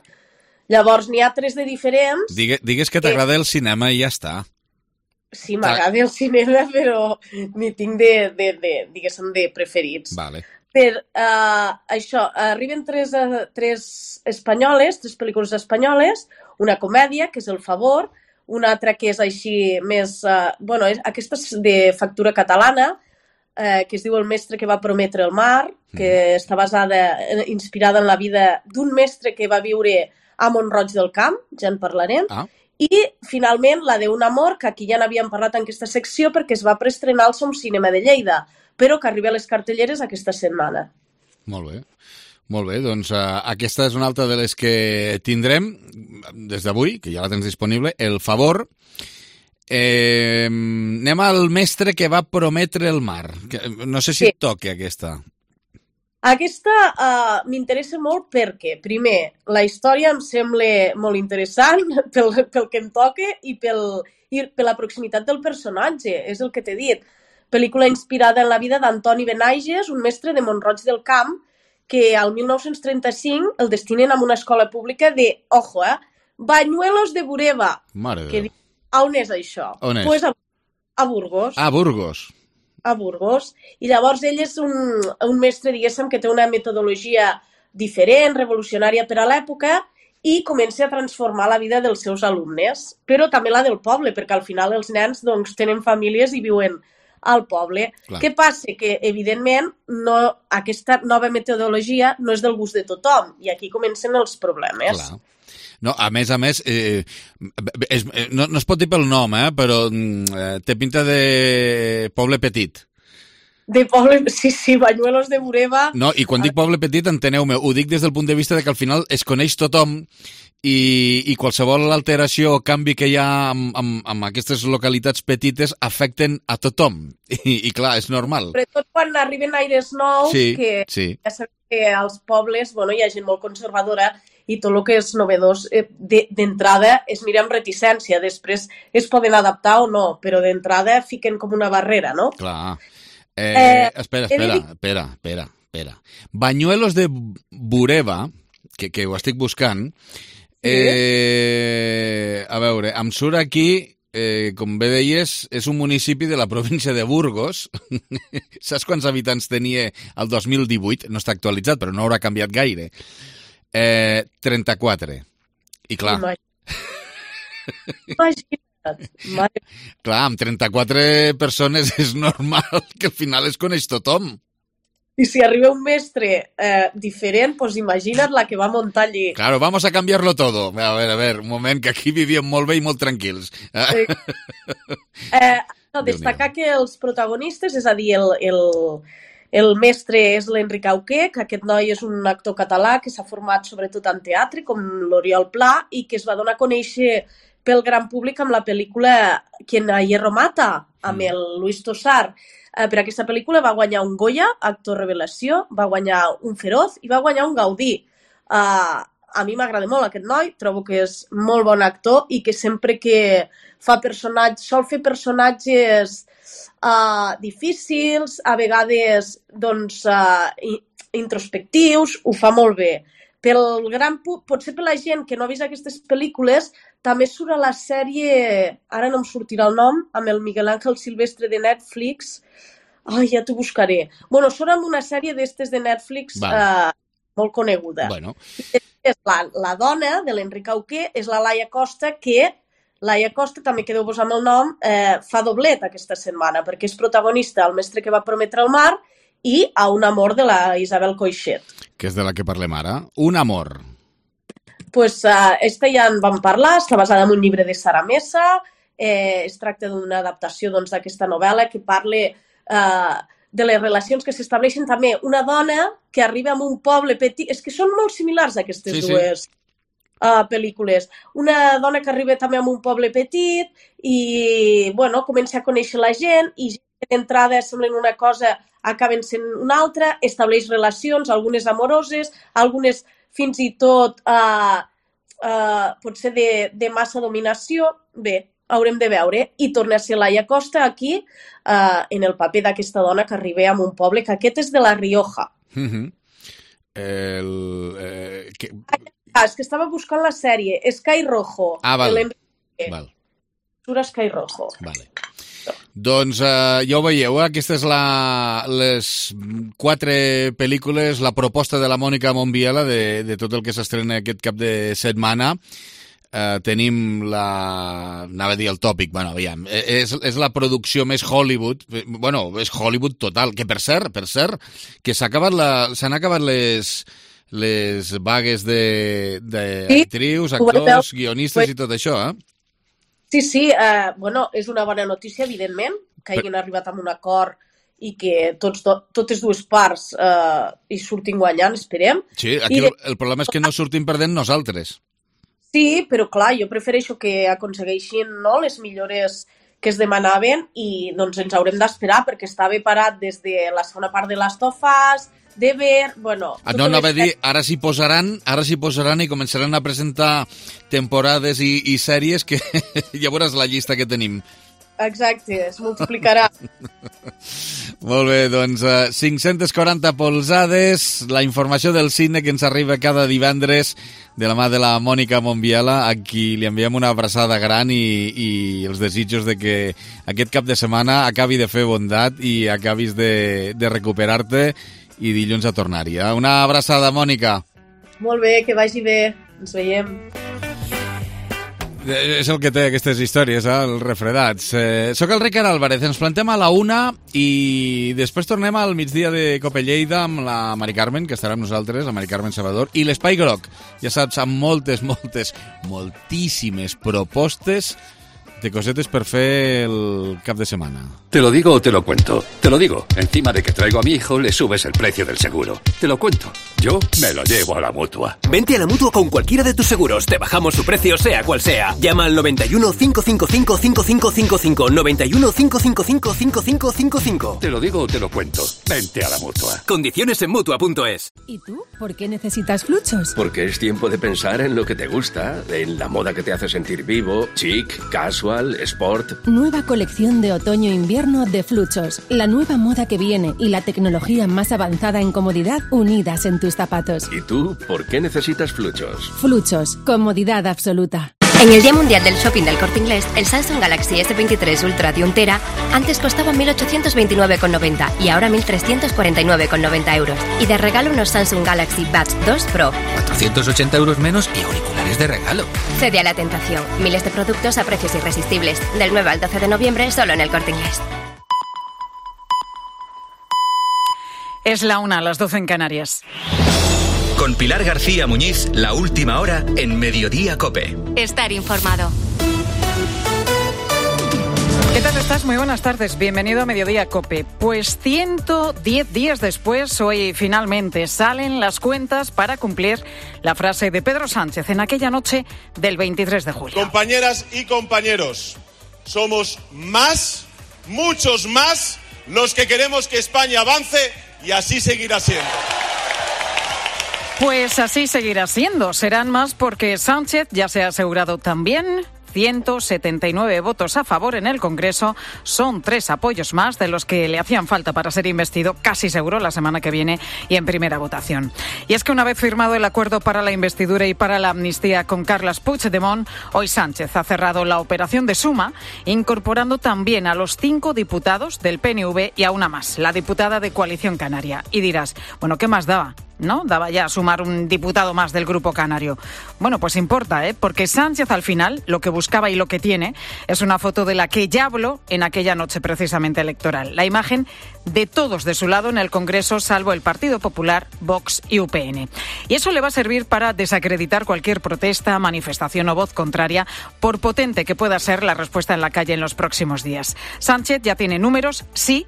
Llavors, n'hi ha tres de diferents... Digues que t'agrada el cinema i ja està. Sí, m'agrada el cinema, però n'hi tinc de preferits. Vale. Per això, arriben tres espanyoles, tres pel·lícules espanyoles, una comèdia, que és El Favor, una altra que és així més... aquesta és de factura catalana, que es diu El mestre que va prometre el mar, que està inspirada en la vida d'un mestre que va viure a Mont-roig del Camp, ja en parlarem, i finalment la d'Un amor, que aquí ja n'havíem parlat en aquesta secció perquè es va preestrenar al Som Cinema de Lleida, però que arriba a les cartelleres aquesta setmana. Molt bé. Molt bé, doncs aquesta és una altra de les que tindrem des d'avui, que ja la tens disponible, El Favor. Anem al mestre que va prometre el mar. No sé si et toca aquesta. Aquesta m'interessa molt perquè, primer, la història em sembla molt interessant pel que em toca i per la proximitat del personatge, és el que t'he dit. Pel·lícula inspirada en la vida d'Antoni Benaiges, un mestre de Mont-roig del Camp, que al 1935 el destinen a una escola pública de, Bañuelos de Bureba. Mare de Déu. On és això? On és? Pues a Burgos. A Burgos. A Burgos. I llavors ell és un mestre, diguéssim, que té una metodologia diferent, revolucionària per a l'època, i comença a transformar la vida dels seus alumnes, però també la del poble, perquè al final els nens tenen famílies i viuen al poble. Clar. Què passa? Que, evidentment, aquesta nova metodologia no és del gust de tothom, i aquí comencen els problemes. Clar. No, a més, no es pot dir pel nom, però té pinta de poble petit. De poble, sí, Bañuelos de Bureba. No, i quan dic poble petit, enteneu-me, ho dic des del punt de vista de que al final es coneix tothom i qualsevol alteració o canvi que hi ha amb aquestes localitats petites afecten a tothom. I clar, és normal. Sobretot quan arriben aires nous, que ja sabem que als pobles hi ha gent molt conservadora i tot el que és novedós d'entrada es mira amb reticència. Després es poden adaptar o no, però d'entrada fiquen com una barrera, no? Clar. Espera. Bañuelos de Bureba, que ho estic buscant, a veure, em surt aquí, com bé deies, és un municipi de la província de Burgos. Saps quants habitants tenia el 2018? No està actualitzat, però no haurà canviat gaire. 34. I clar... Imagina't. Clar, amb 34 persones és normal que al final es coneix tothom. I si arriba un mestre diferent, pues imagina't la que va muntar allí. Claro, vamos a cambiarlo todo. A ver, un moment, que aquí vivíem molt bé i molt tranquils. Destacar que els protagonistes, és a dir, el mestre és l'Enric Auqué, que aquest noi és un actor català que s'ha format sobretot en teatre, com l'Oriol Pla, i que es va donar a conèixer pel gran públic amb la pel·lícula Quien a hierro mata, amb el Luis Tosar. Per aquesta pel·lícula va guanyar un Goya, actor revelació, va guanyar un Feroz i va guanyar un Gaudí. A mi m'agrada molt aquest noi, trobo que és molt bon actor i que sempre que fa personatges, sol fer personatges difícils, a vegades doncs, introspectius, ho fa molt bé. Potser per la gent que no ha vist aquestes pel·lícules, també surt a la sèrie, ara no em sortirà el nom, amb el Miguel Ángel Silvestre de Netflix. Ai, ja t'ho buscaré. Bueno, surt amb una sèrie d'estes de Netflix molt coneguda. Bueno. La dona de l'Enric Auqué és la Laia Costa, que Laia Costa, també quedeu-vos amb el nom, fa doblet aquesta setmana, perquè és protagonista El mestre que va prometre el mar i A un amor de la Isabel Coixet. Que és de la que parlem ara. Un amor. Pues esta ja en vam parlar, està basada en un llibre de Sara Mesa, es tracta d'una adaptació d'aquesta novel·la que parla de les relacions que s'estableixen també. Una dona que arriba a un poble petit, és que són molt similars aquestes dues pel·lícules. Una dona que arriba també a un poble petit i, bueno, comença a conèixer la gent i d'entrada semblen una cosa, acaben sent una altra, estableix relacions, algunes amoroses, algunes fins i tot potser de massa dominació. Bé, haurem de veure. I torna a ser Laia Costa aquí en el paper d'aquesta dona que arriba a un poble, que aquest és de La Rioja. És que estava buscant la sèrie. Sky Rojo. Vale. Surt Sky Rojo. Vale. Doncs ja ho veieu, aquestes les 4 pel·lícules, la proposta de la Mònica Mombiela de tot el que s'estrena aquest cap de setmana. Tenim anava a dir el tòpic, bueno, aviam, és la producció més Hollywood, bueno, és Hollywood total, que per cert, que s'han acabat les vagues d'actrius, actors, guionistes i tot això, Sí, bueno, és una bona notícia, evidentment, que hagin arribat a un acord i que totes dues parts hi surtin guanyant, esperem. Sí, aquí el problema és que no surtin perdent nosaltres. Sí, però clar, jo prefereixo que aconsegueixin les millores que es demanaven i doncs ens haurem d'esperar perquè estava parat des de la segona part de Last of Us, de ver, bueno... No, anava a dir, ara s'hi posaran i començaran a presentar temporades i sèries que ja veuràs la llista que tenim. Exacte, es multiplicarà. Molt bé, doncs 540 polzades, la informació del cine que ens arriba cada divendres de la mà de la Mònica Mombiela, a qui li enviem una abraçada gran i els desitjos de que aquest cap de setmana acabi de fer bondat i acabis de recuperar-te i dilluns a tornar-hi. Una abraçada, Mònica. Molt bé, que vagi bé. Ens veiem. És el que té aquestes històries, els refredats. Soc el Ricard Álvarez, ens plantem a la 1 i després tornem al migdia de Cope Lleida amb la Mari Carmen, que estarà amb nosaltres, la Mari Carmen Salvador, i l'Espai Groc, ja saps, amb moltíssimes propostes de cosetes per fer el cap de semana. ¿Te lo digo o te lo cuento? Te lo digo. Encima de que traigo a mi hijo, le subes el precio del seguro. Te lo cuento. Yo me lo llevo a la Mutua. Vente a la Mutua con cualquiera de tus seguros. Te bajamos su precio, sea cual sea. Llama al 91 555 5555. 91 555 5555. Te lo digo o te lo cuento. Vente a la Mutua. Condiciones en Mutua.es. ¿Y tú? ¿Por qué necesitas Fluchos? Porque es tiempo de pensar en lo que te gusta, en la moda que te hace sentir vivo, chic, casual, sport. Nueva colección de otoño-invierno de Fluchos. La nueva moda que viene y la tecnología más avanzada en comodidad unidas en tus zapatos. ¿Y tú? ¿Por qué necesitas Fluchos? Fluchos. Comodidad absoluta. En el Día Mundial del Shopping del Corte Inglés, el Samsung Galaxy S23 Ultra de 1 tera antes costaba 1.829,90 y ahora 1.349,90 euros. Y de regalo unos Samsung Galaxy Buds 2 Pro. 480 euros menos y auriculares es de regalo. Cede a la tentación. Miles de productos a precios irresistibles. Del 9 al 12 de noviembre, solo en El Corte Inglés. Es la 1, las 12 en Canarias. Con Pilar García Muñiz, la última hora en Mediodía COPE. Estar informado. ¿Qué tal estás? Muy buenas tardes. Bienvenido a Mediodía COPE. Pues 110 días después, hoy finalmente salen las cuentas para cumplir la frase de Pedro Sánchez en aquella noche del 23 de julio. Compañeras y compañeros, somos más, muchos más, los que queremos que España avance y así seguirá siendo. Pues así seguirá siendo. Serán más porque Sánchez ya se ha asegurado también 179 votos a favor en el Congreso. Son 3 apoyos más de los que le hacían falta para ser investido, casi seguro, la semana que viene y en primera votación. Y es que una vez firmado el acuerdo para la investidura y para la amnistía con Carles Puigdemont, hoy Sánchez ha cerrado la operación de suma, incorporando también a los 5 diputados del PNV y a una más, la diputada de Coalición Canaria. Y dirás, bueno, ¿qué más daba? ¿No? Daba ya a sumar un diputado más del Grupo Canario. Bueno, pues importa, porque Sánchez al final lo que buscaba y lo que tiene es una foto de la que ya habló en aquella noche precisamente electoral. La imagen de todos de su lado en el Congreso, salvo el Partido Popular, Vox y UPN. Y eso le va a servir para desacreditar cualquier protesta, manifestación o voz contraria, por potente que pueda ser la respuesta en la calle en los próximos días. Sánchez ya tiene números, sí,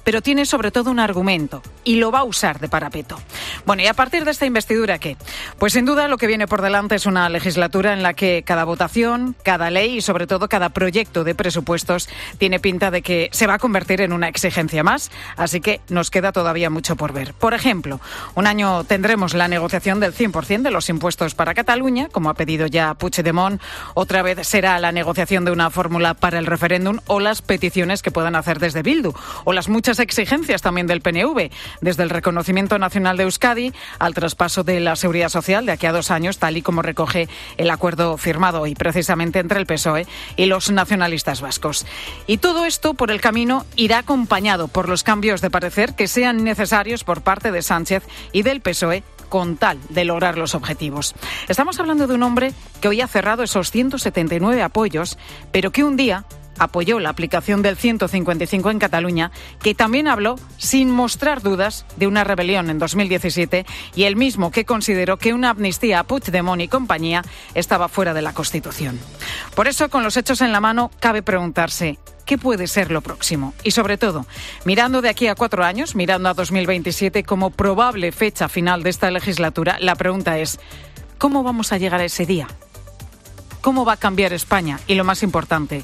pero tiene sobre todo un argumento y lo va a usar de parapeto. Bueno, y a partir de esta investidura, ¿qué? Pues sin duda lo que viene por delante es una legislatura en la que cada votación, cada ley y sobre todo cada proyecto de presupuestos tiene pinta de que se va a convertir en una exigencia más, así que nos queda todavía mucho por ver. Por ejemplo, un año tendremos la negociación del 100% de los impuestos para Cataluña, como ha pedido ya Puigdemont, otra vez será la negociación de una fórmula para el referéndum o las peticiones que puedan hacer desde Bildu, o las muchas exigencias también del PNV, desde el reconocimiento nacional de Euskadi al traspaso de la seguridad social de aquí a 2 años, tal y como recoge el acuerdo firmado hoy precisamente entre el PSOE y los nacionalistas vascos. Y todo esto por el camino irá acompañado por los cambios de parecer que sean necesarios por parte de Sánchez y del PSOE con tal de lograr los objetivos. Estamos hablando de un hombre que hoy ha cerrado esos 179 apoyos, pero que un día apoyó la aplicación del 155 en Cataluña, que también habló, sin mostrar dudas, de una rebelión en 2017 y el mismo que consideró que una amnistía a Puigdemont y compañía estaba fuera de la Constitución. Por eso, con los hechos en la mano, cabe preguntarse ¿qué puede ser lo próximo? Y sobre todo, mirando de aquí a 4 años, mirando a 2027 como probable fecha final de esta legislatura, la pregunta es ¿cómo vamos a llegar a ese día? ¿Cómo va a cambiar España? Y lo más importante,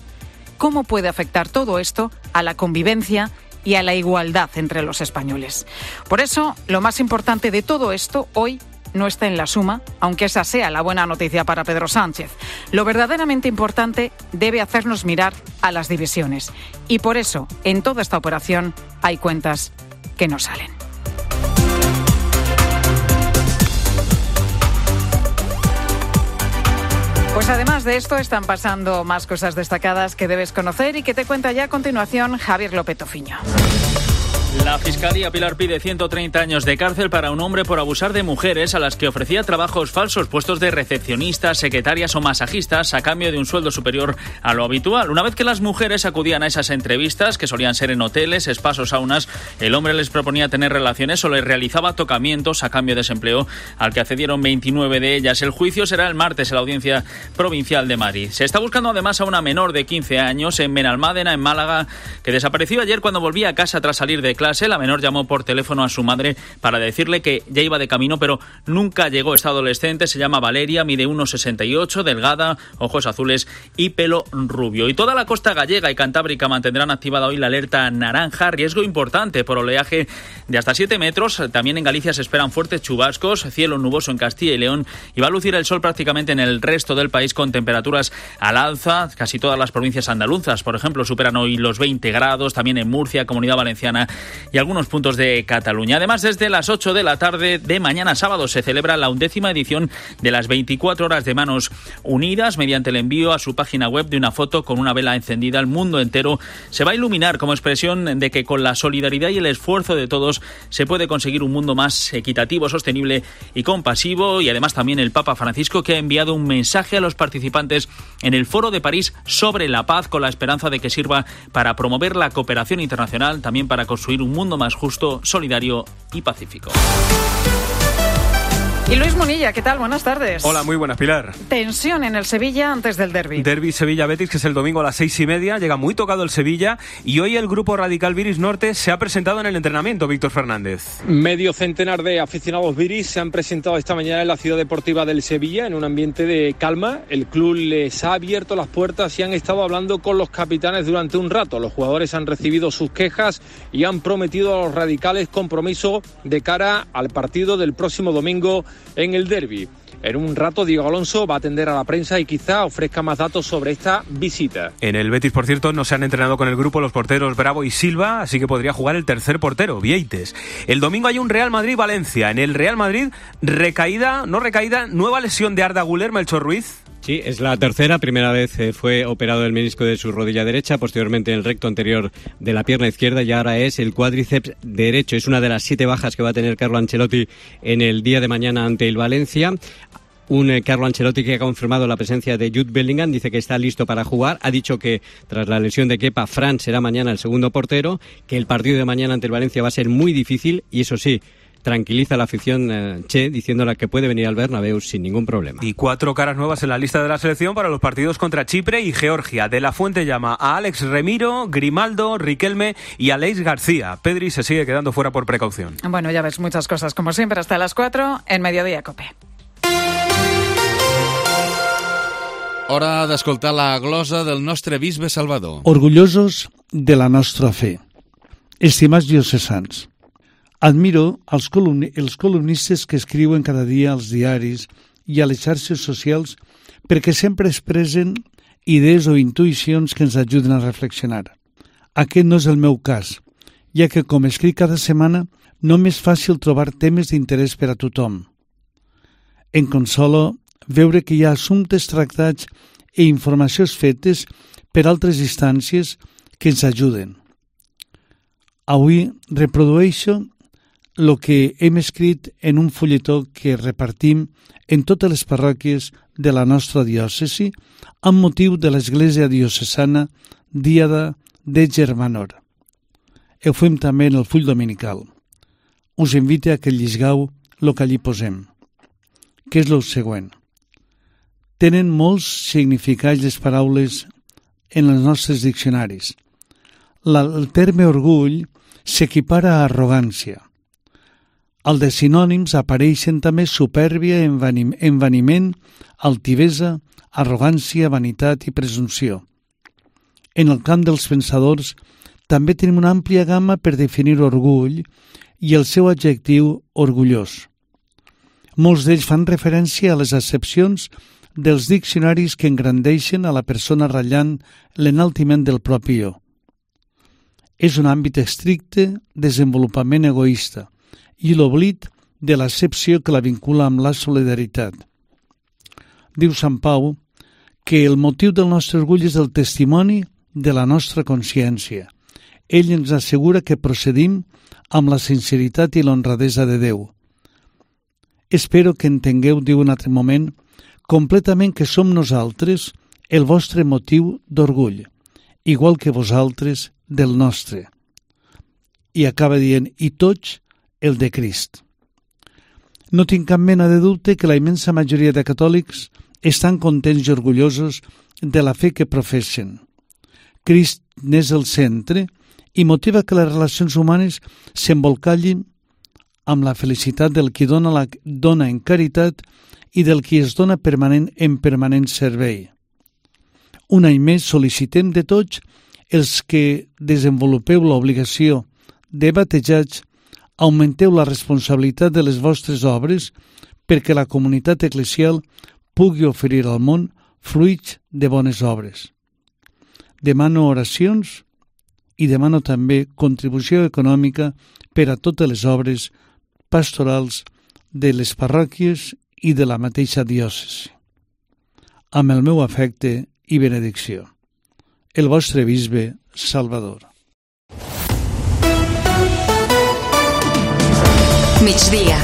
¿cómo puede afectar todo esto a la convivencia y a la igualdad entre los españoles? Por eso, lo más importante de todo esto hoy no está en la suma, aunque esa sea la buena noticia para Pedro Sánchez. Lo verdaderamente importante debe hacernos mirar a las divisiones. Y por eso, en toda esta operación, hay cuentas que no salen. Pues además de esto están pasando más cosas destacadas que debes conocer y que te cuenta ya a continuación Javier López Tofiño. La Fiscalía Pilar pide 130 años de cárcel para un hombre por abusar de mujeres a las que ofrecía trabajos falsos, puestos de recepcionistas, secretarias o masajistas a cambio de un sueldo superior a lo habitual. Una vez que las mujeres acudían a esas entrevistas, que solían ser en hoteles, spas o saunas, el hombre les proponía tener relaciones o les realizaba tocamientos a cambio de ese empleo, al que accedieron 29 de ellas. El juicio será el martes en la Audiencia Provincial de Madrid. Se está buscando además a una menor de 15 años en Benalmádena, en Málaga, que desapareció ayer cuando volvía a casa tras salir de clase. La menor llamó por teléfono a su madre para decirle que ya iba de camino, pero nunca llegó. Esta adolescente se llama Valeria, mide 1,68, delgada, ojos azules y pelo rubio. Y toda la costa gallega y cantábrica mantendrán activada hoy la alerta naranja, riesgo importante por oleaje de hasta 7 metros. También en Galicia se esperan fuertes chubascos, cielo nuboso en Castilla y León, y va a lucir el sol prácticamente en el resto del país con temperaturas al alza. Casi todas las provincias andaluzas, por ejemplo, superan hoy los 20 grados, también en Murcia, Comunidad Valenciana y algunos puntos de Cataluña. Además, desde las 8 de la tarde de mañana sábado se celebra la 11ª edición de las 24 horas de Manos Unidas. Mediante el envío a su página web de una foto con una vela encendida, el mundo entero se va a iluminar como expresión de que con la solidaridad y el esfuerzo de todos se puede conseguir un mundo más equitativo, sostenible y compasivo. Y además también el Papa Francisco, que ha enviado un mensaje a los participantes en el Foro de París sobre la paz, con la esperanza de que sirva para promover la cooperación internacional, también para construir un mundo más justo, solidario y pacífico. Y Luis Munilla, ¿qué tal? Buenas tardes. Hola, muy buenas, Pilar. Tensión en el Sevilla antes del derbi. Derbi Sevilla-Betis, que es el domingo a las 6:30. Llega muy tocado el Sevilla y hoy el grupo radical Viris Norte se ha presentado en el entrenamiento, Víctor Fernández. Medio centenar de aficionados Viris se han presentado esta mañana en la ciudad deportiva del Sevilla en un ambiente de calma. El club les ha abierto las puertas y han estado hablando con los capitanes durante un rato. Los jugadores han recibido sus quejas y han prometido a los radicales compromiso de cara al partido del próximo domingo en el derbi. En un rato Diego Alonso va a atender a la prensa y quizá ofrezca más datos sobre esta visita. En el Betis, por cierto, no se han entrenado con el grupo los porteros Bravo y Silva, así que podría jugar el tercer portero, Vieites. El domingo hay un Real Madrid-Valencia. En el Real Madrid, nueva lesión de Arda Güler, Melchor Ruiz. Sí, es la tercera. Primera vez fue operado el menisco de su rodilla derecha, posteriormente el recto anterior de la pierna izquierda y ahora es el cuádriceps derecho. Es una de las 7 bajas que va a tener Carlo Ancelotti en el día de mañana ante el Valencia. Un Carlo Ancelotti que ha confirmado la presencia de Jude Bellingham, dice que está listo para jugar. Ha dicho que tras la lesión de Kepa, Fran será mañana el segundo portero, que el partido de mañana ante el Valencia va a ser muy difícil y eso sí, tranquiliza a la afición Che, diciéndole que puede venir al Bernabéu sin ningún problema. Y 4 caras nuevas en la lista de la selección para los partidos contra Chipre y Georgia. De la Fuente llama a Alex Remiro, Grimaldo, Riquelme y Aleix García. Pedri se sigue quedando fuera por precaución. Bueno, ya ves, muchas cosas como siempre hasta las 4 en Mediodía Cope. Hora d'escoltar la glosa del nostre bisbe Salvador. Orgullosos de la nostra fe. Estimats diocesans, admiro els columnistes que escriuen cada dia als diaris i a les xarxes socials perquè sempre expressen idees o intuïcions que ens ajuden a reflexionar. Aquest no és el meu cas, ja que com escric cada setmana no m'és fàcil trobar temes d'interès per a tothom. Em consola veure que hi ha assumptes tractats i informacions fetes per altres instàncies que ens ajuden. Avui reprodueixo el que hem escrit en un fulletó que repartim en totes les parròquies de la nostra diòcesi amb motiu de l'Església Diocesana Díada de Germanor. Ho fem també en el full dominical. Us invito a que llisgueu el que allí posem, que és el següent. Tenen molts significats les paraules en els nostres diccionaris. El terme orgull s'equipara a arrogància. Al de sinònims apareixen també supèrbia, envaniment, altivesa, arrogància, vanitat i presumpció. En el camp dels pensadors també tenim una àmplia gamma per definir orgull i el seu adjectiu orgullós. Molts d'ells fan referència a les accepcions dels diccionaris que engrandeixen a la persona ratllant l'enaltiment del propi jo. És un àmbit estricte desenvolupament egoista i l'oblit de l'accepció que la vincula amb la solidaritat. Diu Sant Pau que el motiu del nostre orgull és el testimoni de la nostra consciència. Ell ens assegura que procedim amb la sinceritat i l'honradesa de Déu. Espero que entengueu, diu un altre moment, completament que som nosaltres el vostre motiu d'orgull, igual que vosaltres del nostre. I acaba dient, i tots el de Crist. No tinc cap mena de dubte que la immensa majoria de catòlics estan contents i orgullosos de la fe que professen. Crist n'és el centre i motiva que les relacions humanes s'embolcallin amb la felicitat del qui dona en caritat i del qui es dona en permanent servei. Un any més sol·licitem de tots els que desenvolupeu l'obligació de batejats, augmenteu la responsabilitat de les vostres obres perquè la comunitat eclesial pugui oferir al món fruits de bones obres. Demano oracions i demano també contribució econòmica per a totes les obres pastorals de les parròquies i de la mateixa diòcesi. Amb el meu afecte i benedicció. El vostre bisbe Salvador. Migdia.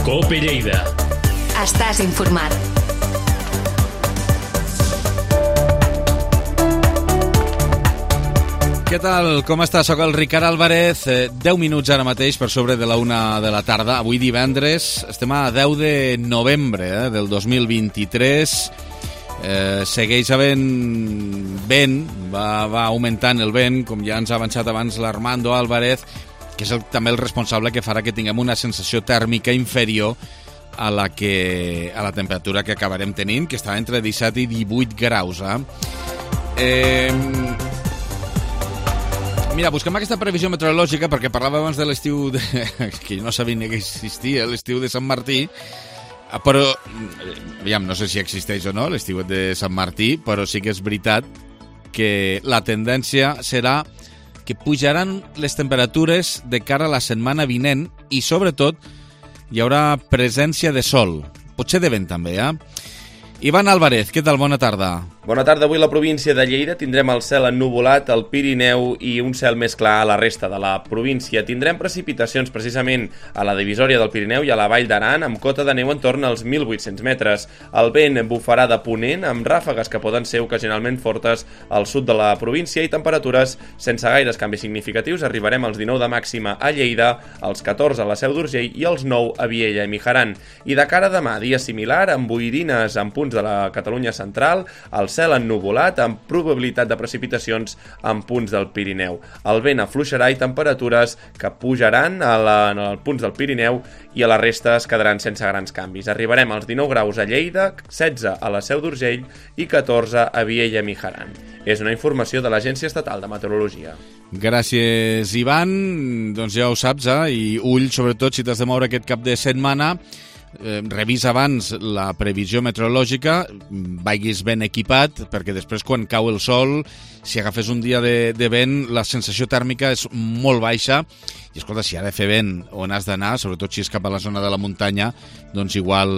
Cope Lleida. Estàs informat. Què tal? Com està? Soc el Ricard Álvarez. 10 minuts ara mateix per sobre de la 1 de la tarda. Avui divendres estem a 10 de novembre del 2023. Segueix havent vent, va augmentant el vent, com ja ens ha avançat abans l'Armando Álvarez, que és també el responsable que farà que tinguem una sensació tèrmica inferior a la temperatura que acabarem tenint, que està entre 17 i 18 graus. Mira, busquem aquesta previsió meteorològica perquè parlava abans de l'estiu que jo no sabia ni que existia, l'estiu de Sant Martí, però aviam, no sé si existeix o no l'estiu de Sant Martí, però sí que és veritat que la tendència serà que pujaran les temperatures de cara a la setmana vinent i, sobretot, hi haurà presència de sol. Potser de vent, també, Ivan Álvarez, què tal? Bona tarda. Bona tarda. Avui a la província de Lleida tindrem el cel ennuvolat al Pirineu i un cel més clar a la resta de la província. Tindrem precipitacions precisament a la divisòria del Pirineu i a la Vall d'Aran amb cota de neu entorn als 1.800 metres. El vent bufarà de ponent amb ràfegues que poden ser ocasionalment fortes al sud de la província i temperatures sense gaires canvis significatius. Arribarem als 19 de màxima a Lleida, als 14 a la Seu d'Urgell i als 9 a Viella i Mijaran. I de cara a demà, dia similar, amb boirines en punts de la Catalunya central, el cel ennuvolat amb probabilitat de precipitacions en punts del Pirineu. El vent afluixarà i temperatures que pujaran en els punts del Pirineu i a la resta es quedaran sense grans canvis. Arribarem als 19 graus a Lleida, 16 a la Seu d'Urgell i 14 a Viella i Mijaran. És una informació de l'Agència Estatal de Meteorologia. Gràcies, Ivan. Doncs ja ho saps, i ull, sobretot, si t'has de moure aquest cap de setmana, revisa abans la previsió meteorològica, vagis ben equipat, perquè després quan cau el sol, si agafes un dia de vent, la sensació tèrmica és molt baixa, i escolta, si ha de fer vent on has d'anar, sobretot si és cap a la zona de la muntanya, doncs igual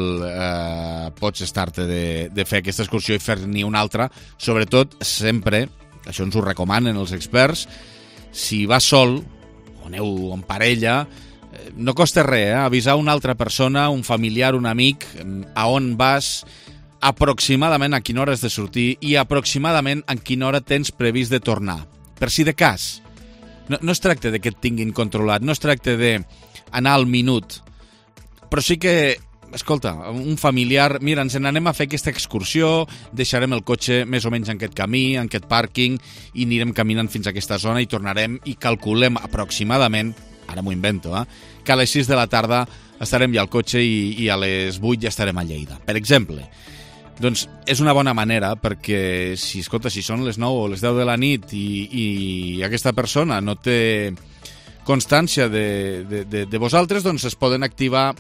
pots estar-te de fer aquesta excursió i fer-n'hi una altra, sobretot sempre, això ens ho recomanen els experts, si vas sol, o aneu en parella, no costa res, avisar una altra persona, un familiar, un amic, a on vas, aproximadament a quina hora has de sortir i aproximadament a quina hora tens previst de tornar. Per si de cas. No es tracta de que et tinguin controlat, no es tracta d'anar al minut, però sí que, escolta, un familiar, mira, ens n'anem a fer aquesta excursió, deixarem el cotxe més o menys en aquest camí, en aquest pàrquing, i anirem caminant fins a aquesta zona i tornarem i calculem aproximadament, ara m'ho invento, que a les 6 de la tarda estarem ja al cotxe i a les 8 ja estarem a Lleida, per exemple. Doncs és una bona manera perquè, si són les 9 o les 10 de la nit i aquesta persona no té constància de vosaltres, doncs es poden activar,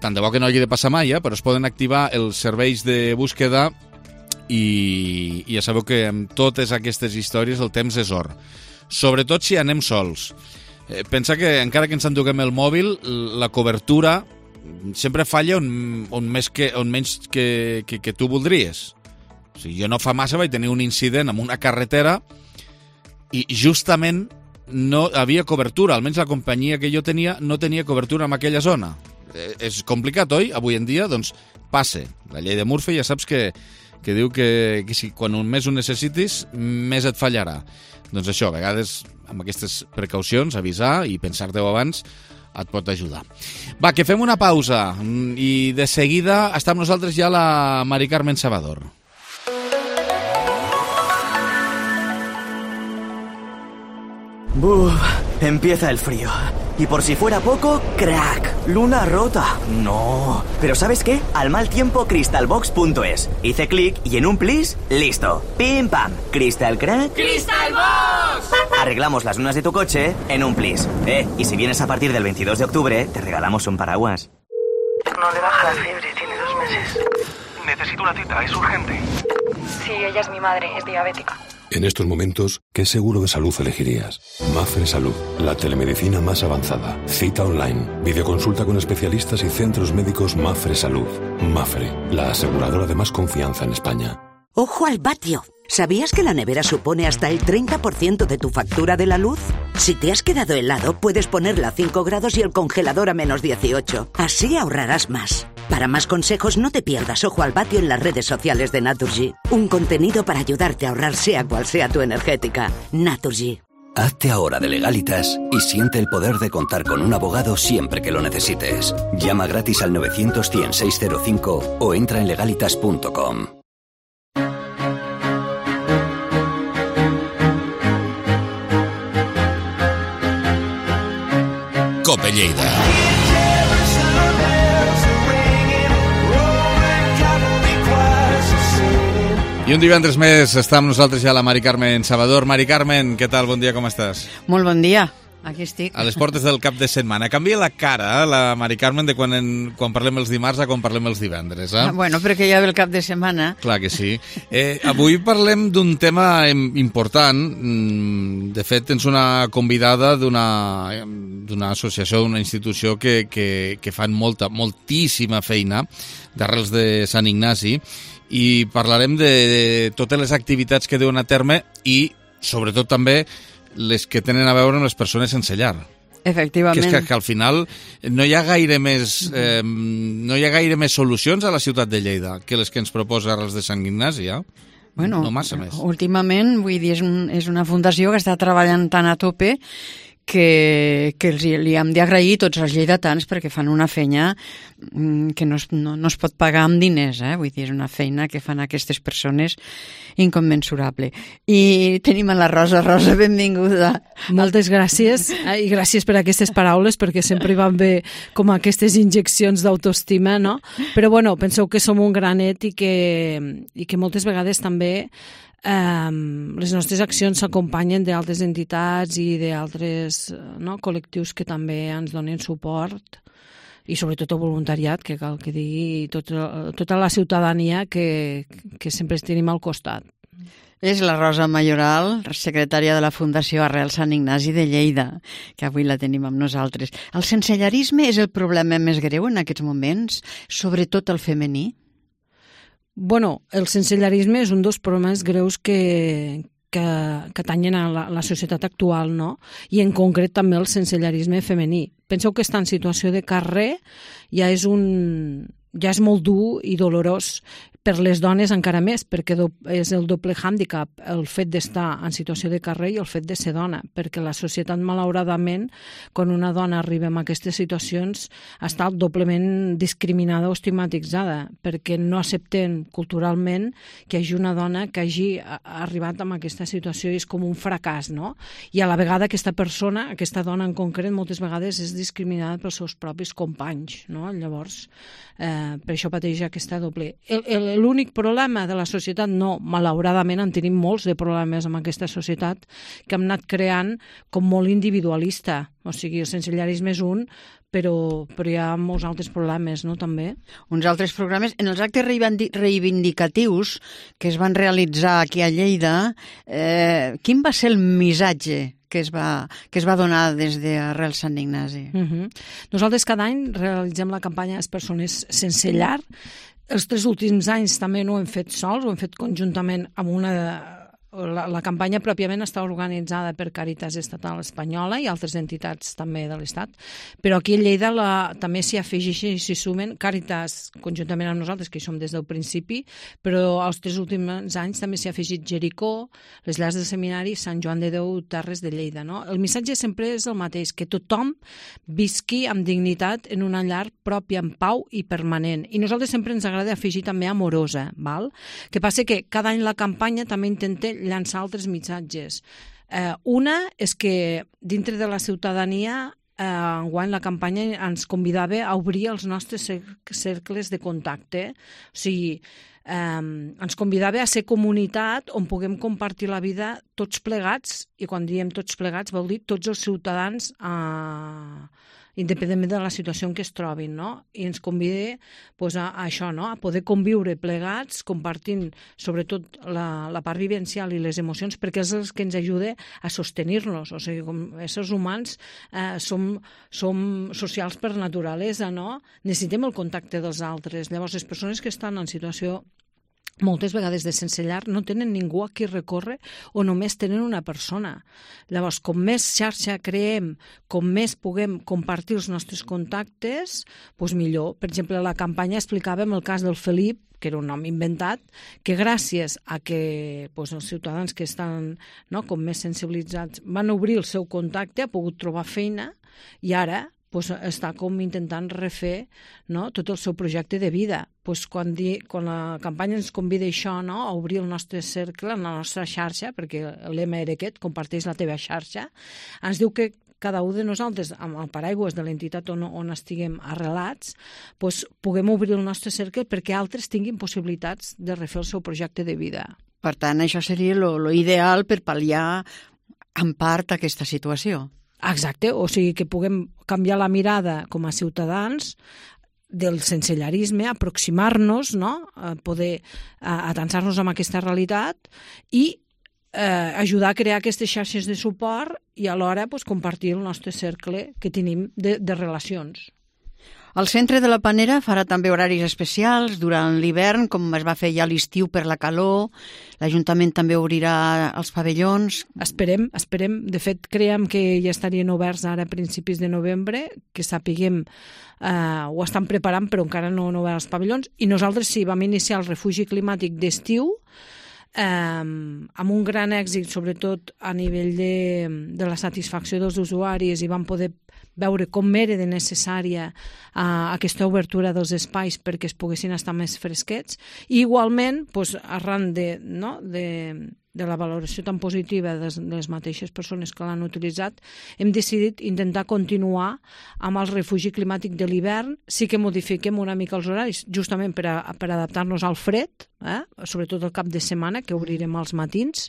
tant de bo que no hagi de passar mai, però es poden activar els serveis de búsqueda i ja sabeu que amb totes aquestes històries el temps és or. Sobretot si anem sols. Pensa que encara que ens enduguem el mòbil, la cobertura sempre falla on menys que tu voldries. O sigui, jo no fa massa vaig tenir un incident amb una carretera i justament no havia cobertura, almenys la companyia que jo tenia no tenia cobertura en aquella zona. És complicat, oi? Avui en dia, doncs, passe. La llei de Murphy ja saps que diu que si quan més ho necessitis, més et fallarà. Doncs això, a vegades, amb aquestes precaucions, avisar i pensar-te-ho abans, et pot ajudar. Va, que fem una pausa i de seguida està amb nosaltres ja la Mari Carmen Salvador. Buf, empieza el frío. Y por si fuera poco, crack, luna rota. No. Pero ¿sabes qué? Al mal tiempo, crystalbox.es. Hice clic y en un plis, listo. Pim pam. Crystal crack. ¡Crystalbox! Arreglamos las lunas de tu coche en un plis. Y si vienes a partir del 22 de octubre, te regalamos un paraguas. No le baja la fiebre, tiene 2 meses. Necesito una cita, es urgente. Sí, ella es mi madre, es diabética. En estos momentos, ¿qué seguro de salud elegirías? Mapfre Salud, la telemedicina más avanzada. Cita online, videoconsulta con especialistas y centros médicos Mapfre Salud. Mapfre, la aseguradora de más confianza en España. ¡Ojo al vatio! ¿Sabías que la nevera supone hasta el 30% de tu factura de la luz? Si te has quedado helado, puedes ponerla a 5 grados y el congelador a menos 18. Así ahorrarás más. Para más consejos, no te pierdas Ojo al Vatio en las redes sociales de Naturgy. Un contenido para ayudarte a ahorrar sea cual sea tu energética. Naturgy. Hazte ahora de Legalitas y siente el poder de contar con un abogado siempre que lo necesites. Llama gratis al 900-100-605 o entra en legalitas.com. Cope Lleida. I un divendres més està amb nosaltres ja la Mari Carmen Salvador. Mari Carmen, què tal? Bon dia, com estàs? Molt bon dia, aquí estic. A les portes del cap de setmana. Canvia la cara, la Mari Carmen, de quan parlem els dimarts a quan parlem els divendres. Bueno, perquè ja ve el cap de setmana. Clar que sí. Avui parlem d'un tema important. De fet, tens una convidada d'una associació, d'una institució que fan moltíssima feina d'arrels de Sant Ignasi, i parlarem de totes les activitats que deuen a terme i, sobretot, també les que tenen a veure amb les persones sense llar. Efectivament. Que és que al final no hi ha gaire més solucions a la ciutat de Lleida que les que ens proposa Arrels de Sant Ignasi, Bueno, no massa més. Últimament, vull dir, és una fundació que està treballant tan a tope que li hem d'agrair tots els lleidatans perquè fan una feina que no es pot pagar amb diners, vull dir, és una feina que fan aquestes persones incommensurable. I tenim a la Rosa. Rosa, benvinguda. Moltes gràcies, i gràcies per aquestes paraules, perquè sempre van bé com aquestes injeccions d'autoestima, no? Però bueno, penseu que som un granet i que moltes vegades també les nostres accions s'acompanyen d'altres entitats i d'altres col·lectius que també ens donen suport, i sobretot el voluntariat, que cal que digui, tota la ciutadania que sempre tenim al costat. És la Rosa Mayoral, secretària de la Fundació Arrels Sant Ignasi de Lleida, que avui la tenim amb nosaltres. El sensellarisme és el problema més greu en aquests moments, sobretot el femení? Bueno, el sensellarisme és un dels problemes greus que tanyen a la societat actual, no? I en concret també el sensellarisme femení. Penseu que estar en situació de carrer ja és molt dur i dolorós. Per les dones encara més, perquè és el doble hàndicap, el fet d'estar en situació de carrer i el fet de ser dona, perquè la societat, malauradament, quan una dona arriba a aquestes situacions, està doblement discriminada o estigmatitzada, perquè no accepten culturalment que hi hagi una dona que hagi arribat a aquesta situació i és com un fracàs, no? I a la vegada aquesta persona, aquesta dona en concret, moltes vegades és discriminada pels seus propis companys, no? Llavors, per això pateix aquesta doble. L'únic problema de la societat, no, malauradament en tenim molts de problemes amb aquesta societat que hem anat creant com molt individualista, o sigui, el sensellarisme és un, però hi ha molts altres problemes, no, també? Uns altres programes. En els actes reivindicatius que es van realitzar aquí a Lleida, quin va ser el missatge que es va donar des d'Arrels Sant Ignasi? Nosaltres cada any realitzem la campanya Les persones sense llar. Els 3 últims anys també no ho hem fet sols, ho hem fet conjuntament amb la campanya pròpiament està organitzada per Càritas Estatal Espanyola i altres entitats també de l'Estat, però aquí a Lleida també s'hi afegeixen i s'hi sumen Càritas conjuntament amb nosaltres, que hi som des del principi, però els 3 últims anys també s'hi ha afegit Jericó, les llars del seminari, Sant Joan de Déu, Terres de Lleida, no? El missatge sempre és el mateix, que tothom visqui amb dignitat en una llar pròpia, en pau i permanent. I nosaltres sempre ens agrada afegir també amorosa, val? Que passa que cada any la campanya també intenta llançar altres missatges. Una és que dintre de la ciutadania enguany la campanya ens convidava a obrir els nostres cercles de contacte. O sigui, ens convidava a ser comunitat on puguem compartir la vida tots plegats, i quan diem tots plegats vol dir tots els ciutadans independentment de la situació en què es trobin, no? I ens convida pues, a això, no? A poder conviure plegats, compartint sobretot la part vivencial i les emocions, perquè és el que ens ajuda a sostenir-nos. O sigui, com éssers humans som socials per naturalesa, no? Necessitem el contacte dels altres. Llavors, les persones que estan en situació moltes vegades de sense llar no tenen ningú a qui recórrer o només tenen una persona. Llavors, com més xarxa creem, com més puguem compartir els nostres contactes, doncs millor. Per exemple, a la campanya explicàvem el cas del Felip, que era un nom inventat, que gràcies a que els ciutadans que estan com més sensibilitzats van obrir el seu contacte, ha pogut trobar feina i ara està com intentant refer tot el seu projecte de vida. Quan la campanya ens convida això, a obrir el nostre cercle, la nostra xarxa, perquè el lema era aquest, comparteix la teva xarxa, ens diu que cada un de nosaltres, amb el paraigües de l'entitat on estiguem arrelats, puguem obrir el nostre cercle perquè altres tinguin possibilitats de refer el seu projecte de vida. Per tant, això seria l'ideal per pal·liar en part aquesta situació. Exacte, o sigui que puguem canviar la mirada com a ciutadans del sensellarisme, aproximar-nos, a poder atansar-nos amb aquesta realitat i ajudar a crear aquestes xarxes de suport i alhora compartir el nostre cercle que tenim de relacions. El Centre de la Panera farà també horaris especials durant l'hivern, com es va fer ja a l'estiu per la calor. L'Ajuntament també obrirà els pavellons. Esperem. De fet, creiem que ja estarien oberts ara a principis de novembre, que sapiguem, ho estan preparant, però encara no obert els pavellons. I nosaltres sí, vam iniciar el refugi climàtic d'estiu, amb un gran èxit, sobretot a nivell de la satisfacció dels usuaris, i vam poder veure com era de necessària aquesta obertura dels espais perquè es poguessin estar més fresquets. I igualment, arran de la valoració tan positiva de les mateixes persones que l'han utilitzat, hem decidit intentar continuar amb el refugi climàtic de l'hivern. Sí que modifiquem una mica els horaris, justament per adaptar-nos al fred, sobretot el cap de setmana, que obrirem als matins,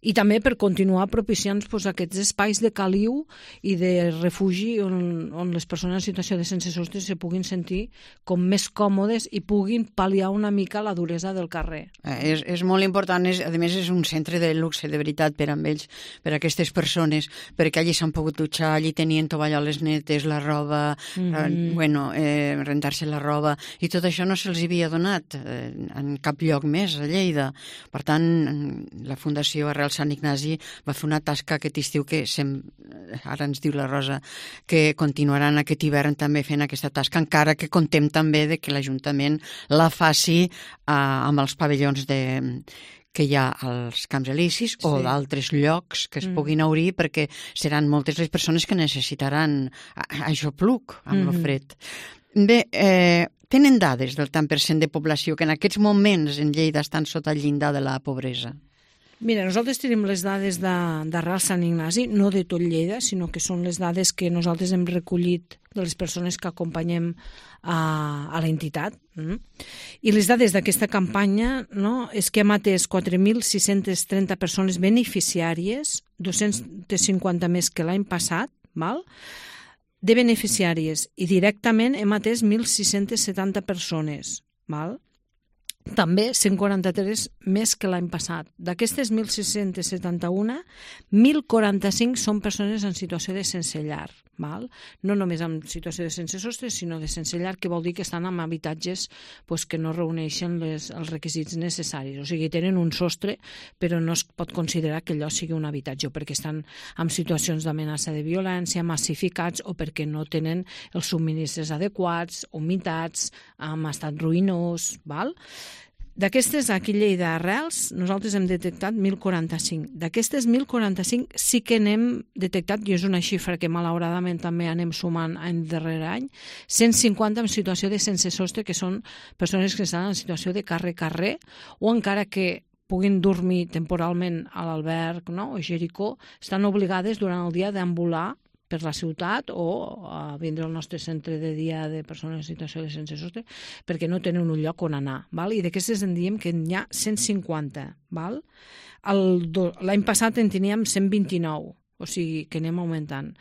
i també per continuar propiciant aquests espais de caliu i de refugi on les persones en situació de sense sostre se puguin sentir com més còmodes i puguin pal·liar una mica la duresa del carrer. És molt important, a més és un centre de luxe, de veritat, per amb ells, per a aquestes persones, perquè allí s'han pogut dutxar, allí tenien tovalloles netes, la roba, rentar-se la roba, i tot això no se'ls havia donat en cap lloc més a Lleida. Per tant, la Fundació Arrel Sant Ignasi va fer una tasca aquest estiu que ara ens diu la Rosa que continuaran aquest hivern també fent aquesta tasca, encara que contem també de que l'Ajuntament la faci amb els pavellons que hi ha als Camps Elisis o d'altres llocs que es puguin obrir, perquè seran moltes les persones que necessitaran ajopluc amb el fred. Bé, tenen dades del tant per cent de població que en aquests moments en Lleida estan sota el llindar de la pobresa? Mira, nosaltres tenim les dades d'Arrel Sant Ignasi, no de tot Lleida, sinó que són les dades que nosaltres hem recollit de les persones que acompanyem a l'entitat. I les dades d'aquesta campanya és que hem atès 4.630 persones beneficiàries, 250 més que l'any passat, de beneficiàries, i directament hem atès 1.670 persones, també 143 més que l'any passat. D'aquestes 1.671, 1.045 són persones en situació de sense llar. No només en situació de sense sostre, sinó de sense llar, que vol dir que estan en habitatges que no reuneixen els requisits necessaris. O sigui, tenen un sostre, però no es pot considerar que allò sigui un habitatge, o perquè estan en situacions d'amenaça de violència, massificats, o perquè no tenen els subministres adequats, humitats, en estat ruïnós, D'aquestes, aquí a Lleida Arrels, nosaltres hem detectat 1.045. D'aquestes 1.045 sí que n'hem detectat, i és una xifra que malauradament també anem sumant any darrere any, 150 en situació de sense sostre, que són persones que estan en situació de carrer, o encara que puguin dormir temporalment a l'alberg o Jericó, estan obligades durant el dia d'ambular per la ciutat o a vindre al nostre centre de dia de persones en situació de sense sostre perquè no tenen un lloc on anar. I d'aquestes en diem que n'hi ha 150. L'any passat en teníem 129. o sigui que anem augmentant.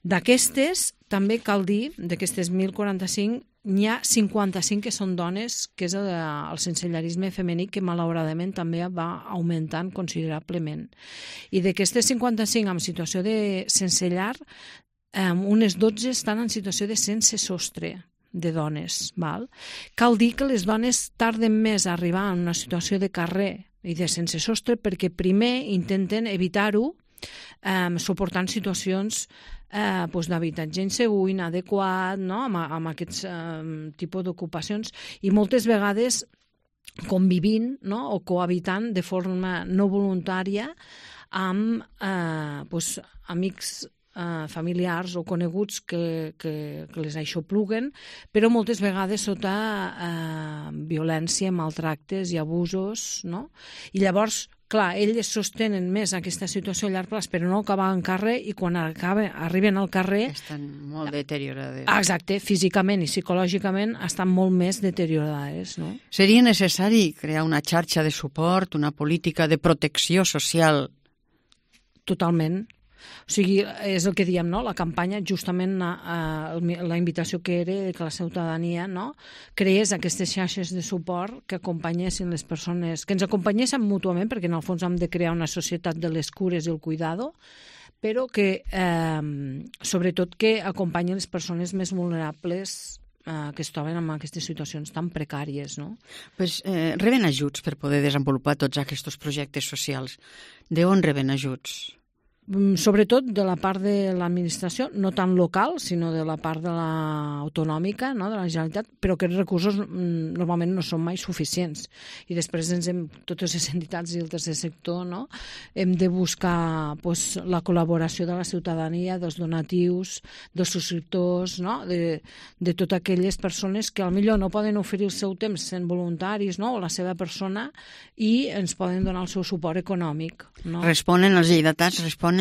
D'aquestes, també cal dir, d'aquestes 1.045, n'hi ha 55 que són dones, que és el sensellarisme femení, que malauradament també va augmentant considerablement. I d'aquestes 55 en situació de sense llar, unes 12 estan en situació de sense sostre de dones. Val? Cal dir que les dones tarden més a arribar en una situació de carrer i de sense sostre perquè primer intenten evitar-ho suportant situacions d'habitatge insegur, inadequat, no? amb aquests tipus d'ocupacions, i moltes vegades convivint, no? o cohabitant de forma no voluntària amb amics familiars o coneguts que les aixopluguen, però moltes vegades sota violència, maltractes i abusos, no? I llavors, clar, elles sostenen més aquesta situació a llarg plaç, però no acabar en carrer, i quan arriben al carrer... Estan molt deteriorades. Exacte, físicament i psicològicament estan molt més deteriorades, no? Seria necessari crear una xarxa de suport, una política de protecció social? Totalment. O sigui, és el que diem, no? La campanya, justament la invitació que era que la ciutadania, no? Creés aquestes xarxes de suport que acompanyessin les persones, que ens acompanyessin mútuament, perquè en el fons hem de crear una societat de les cures i el cuidado, però que, sobretot, que acompanyin les persones més vulnerables que es troben en aquestes situacions tan precàries, no? Pues, reben ajuts per poder desenvolupar tots aquests projectes socials. D'on reben ajuts? Sobretot de la part de l'administració, no tant local, sinó de la part de l'autonòmica, no? de la Generalitat, però aquests recursos normalment no són mai suficients. I després totes les entitats i el tercer sector, no? Hem de buscar la col·laboració de la ciutadania, dels donatius, dels subscriptors, no? de totes aquelles persones que potser no poden oferir el seu temps sent voluntaris, no? o la seva persona, i ens poden donar el seu suport econòmic. No? Responen els lleidatans? Responen?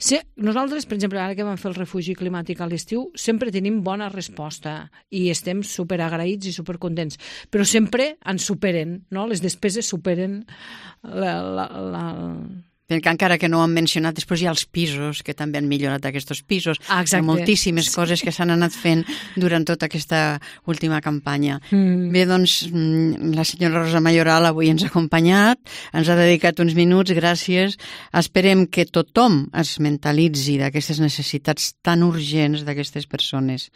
Sí, nosaltres, per exemple, ara que vam fer el refugi climàtic a l'estiu, sempre tenim bona resposta i estem superagraïts i supercontents, però sempre ens superen, no? Les despeses superen Perquè encara que no ho han mencionat, després hi ha els pisos, que també han millorat aquests pisos. Exacte. Hi ha moltíssimes coses que s'han anat fent durant tota aquesta última campanya. Bé, doncs, la senyora Rosa Mayoral avui ens ha acompanyat, ens ha dedicat uns minuts, gràcies. Esperem que tothom es mentalitzi d'aquestes necessitats tan urgents d'aquestes persones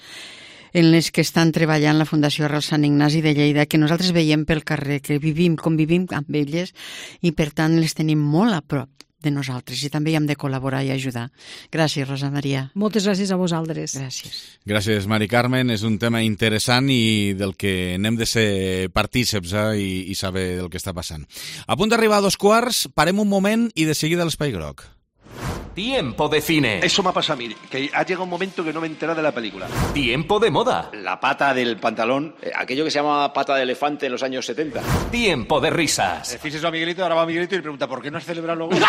en les que estan treballant la Fundació Arrel Sant Ignasi de Lleida, que nosaltres veiem pel carrer, que convivim amb elles i, per tant, les tenim molt a prop de nosaltres i també hi hem de col·laborar i ajudar. Gràcies, Rosa Maria. Moltes gràcies a vosaltres. Gràcies. Gràcies, Mari Carmen. És un tema interessant i del que n'hem de ser partíceps i saber el que està passant. A punt d'arribar a 2:15, parem un moment i de seguida l'Espai Groc. Tiempo de cine. Eso me ha pasado a mí, que ha llegado un momento que no me he enterado de la película. Tiempo de moda. La pata del pantalón, aquello que se llama pata de elefante en los años 70. Tiempo de risas. Fíjese a Miguelito, ahora va Miguelito y le pregunta, ¿por qué no has celebrado luego?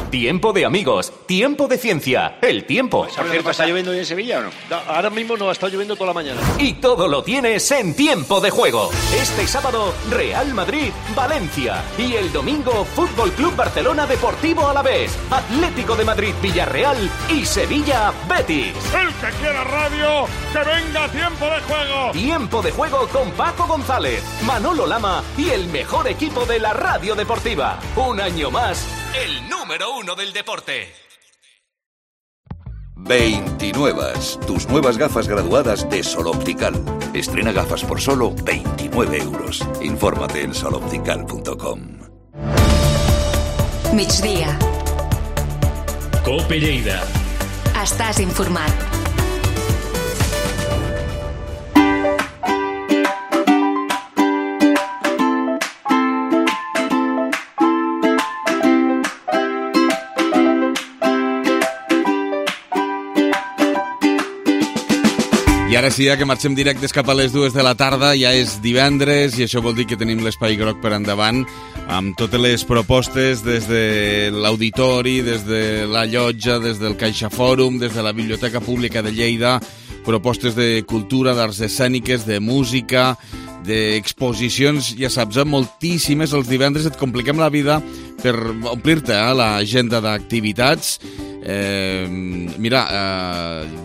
Tiempo de amigos. Tiempo de ciencia. El tiempo. Por cierto, ¿está lloviendo hoy en Sevilla o no? No, ahora mismo no, ha estado lloviendo toda la mañana. Y todo lo tienes en Tiempo de Juego. Este sábado, Real Madrid, Valencia. Y el domingo, Fútbol Club Barcelona Deportivo Alavés, Atlético de Madrid, Villarreal y Sevilla, Betis. El que quiera radio, que venga a Tiempo de Juego. Tiempo de Juego con Paco González, Manolo Lama y el mejor equipo de la radio deportiva. Un año más, el número 1 del deporte. 29. Tus nuevas gafas graduadas de Sol Optical. Estrena gafas por solo 29 euros. Infórmate en soloptical.com. Migdia. Cope Lleida. Estàs informat. I ara sí, que marxem directes cap a les 2 de la tarda, ja és divendres i això vol dir que tenim l'Espai Groc per endavant amb totes les propostes des de l'Auditori, des de la Llotja, des del Caixa Fòrum, des de la Biblioteca Pública de Lleida, propostes de cultura, d'arts escèniques, de música, d'exposicions, ja saps, moltíssimes. Els divendres et compliquem la vida per omplir-te l'agenda d'activitats. Mira,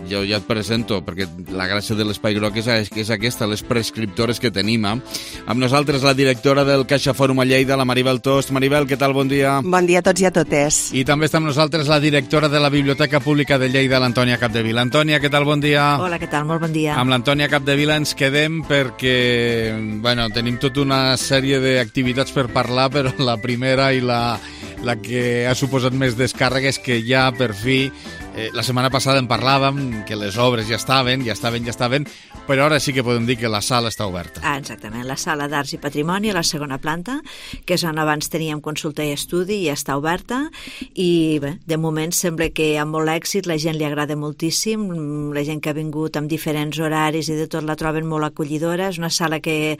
jo ja et presento, perquè la gràcia de l'Espai Groc és aquesta, les prescriptores que tenim. Amb nosaltres la directora del Caixa Fòrum a Lleida, la Maribel Tost. Maribel, què tal? Bon dia. Bon dia a tots i a totes. I també està amb nosaltres la directora de la Biblioteca Pública de Lleida, l'Antònia Capdevila. Antònia, què tal? Bon dia. Hola, què tal? Molt bon dia. Amb l'Antònia Capdevila ens quedem perquè, bueno, tenim tota una sèrie d'activitats per parlar, però la primera i la que ha suposat més descàrrega és que ja per fi, la setmana passada en parlàvem, que les obres ja estaven, però ara sí que podem dir que la sala està oberta. Exactament, la sala d'Arts i Patrimoni a la segona planta, que és on abans teníem consulta i estudi, ja està oberta, i bé, de moment sembla que amb molt èxit, la gent li agrada moltíssim, la gent que ha vingut amb diferents horaris i de tot la troben molt acollidora, és una sala que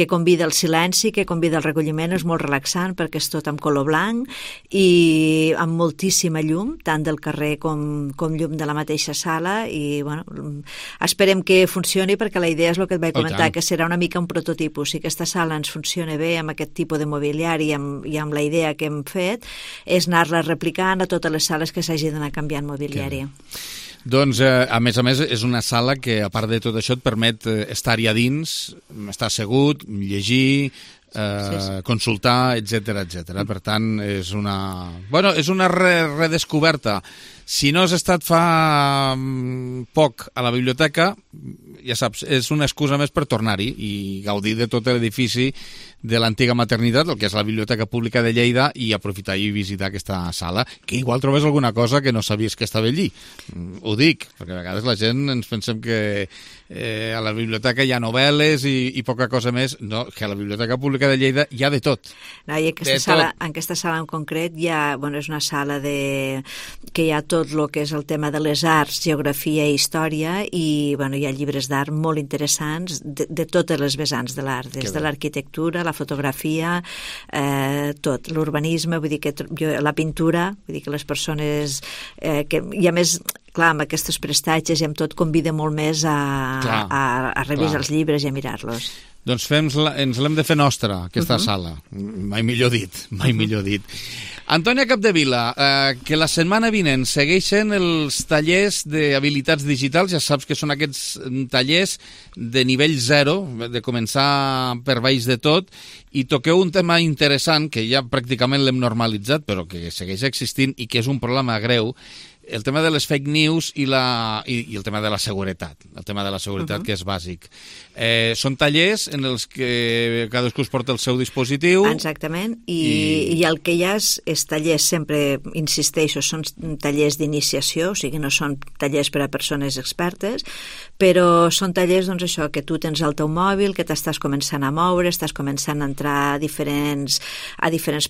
convida al silenci, que convida al recolliment, és molt relaxant perquè és tot amb color blanc i amb moltíssima llum, tant del carrer com llum de la mateixa sala, i bueno, esperem que funcioni perquè la idea és el que et vaig comentar, que serà una mica un prototipus. Si aquesta sala ens funciona bé amb aquest tipus de mobiliari i amb la idea que hem fet, és anar-la replicant a totes les sales que s'hagi d'anar canviant mobiliari. Doncs, a més, és una sala que, a part de tot això, et permet estar-hi a dins, estar assegut, llegir, consultar, etc. Per tant, és una redescoberta. Si no has estat fa poc a la biblioteca, ja saps, és una excusa més per tornar-hi i gaudir de tot l'edifici de l'antiga maternitat, el que és la Biblioteca Pública de Lleida, i aprofitar i visitar aquesta sala, que igual trobes alguna cosa que no sabies que estava allí. Ho dic, perquè a vegades la gent ens pensem que a la biblioteca hi ha novel·les i poca cosa més. No, que a la Biblioteca Pública de Lleida hi ha de tot. No, i en aquesta sala en concret hi ha, és una sala que hi ha tot el que és el tema de les arts, geografia i història, i hi ha llibres d'art molt interessants de totes les vessants de l'art, des de l'arquitectura, la fotografia, tot, l'urbanisme, vull dir que la pintura, vull dir que les persones i a més, clar, amb aquests prestatges i amb tot convida molt més a revisar els llibres i a mirar-los. Doncs ens l'hem de fer nostra, aquesta sala. Mai millor dit. Antònia Capdevila, que la setmana vinent segueixen els tallers d'habilitats digitals, ja saps que són aquests tallers de nivell 0, de començar per baix de tot, i toqueu un tema interessant que ja pràcticament l'hem normalitzat, però que segueix existint i que és un problema greu, el tema de les fake news i el tema de la seguretat, que és bàsic. Són tallers en els que cadascú es porta el seu dispositiu. Exactament, i el que hi ha és tallers, sempre insisteixo, són tallers d'iniciació, o sigui, no són tallers per a persones expertes, però són tallers, doncs això, que tu tens el teu mòbil, que t'estàs començant a moure, estàs començant a entrar a diferents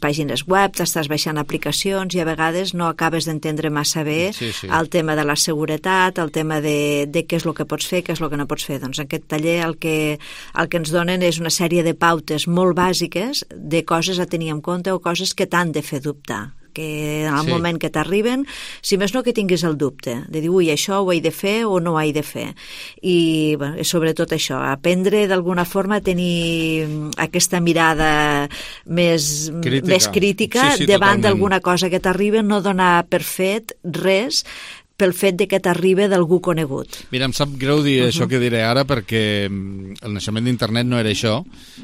pàgines web, t'estàs baixant aplicacions i a vegades no acabes d'entendre massa bé el tema de la seguretat, el tema de què és el que pots fer, què és el que no pots fer. Doncs aquest taller el que ens donen és una sèrie de pautes molt bàsiques de coses a tenir en compte o coses que t'han de fer dubtar, que en el moment que t'arriben, si més no que tinguis el dubte, de dir, ui, això ho he de fer o no ho he de fer. I sobretot això, aprendre d'alguna forma a tenir aquesta mirada més crítica davant d'alguna cosa que t'arriba, no donar per fet res pel fet de que t'arriba d'algú conegut. Mira, em sap greu dir això que diré ara, perquè el naixement d'internet no era això,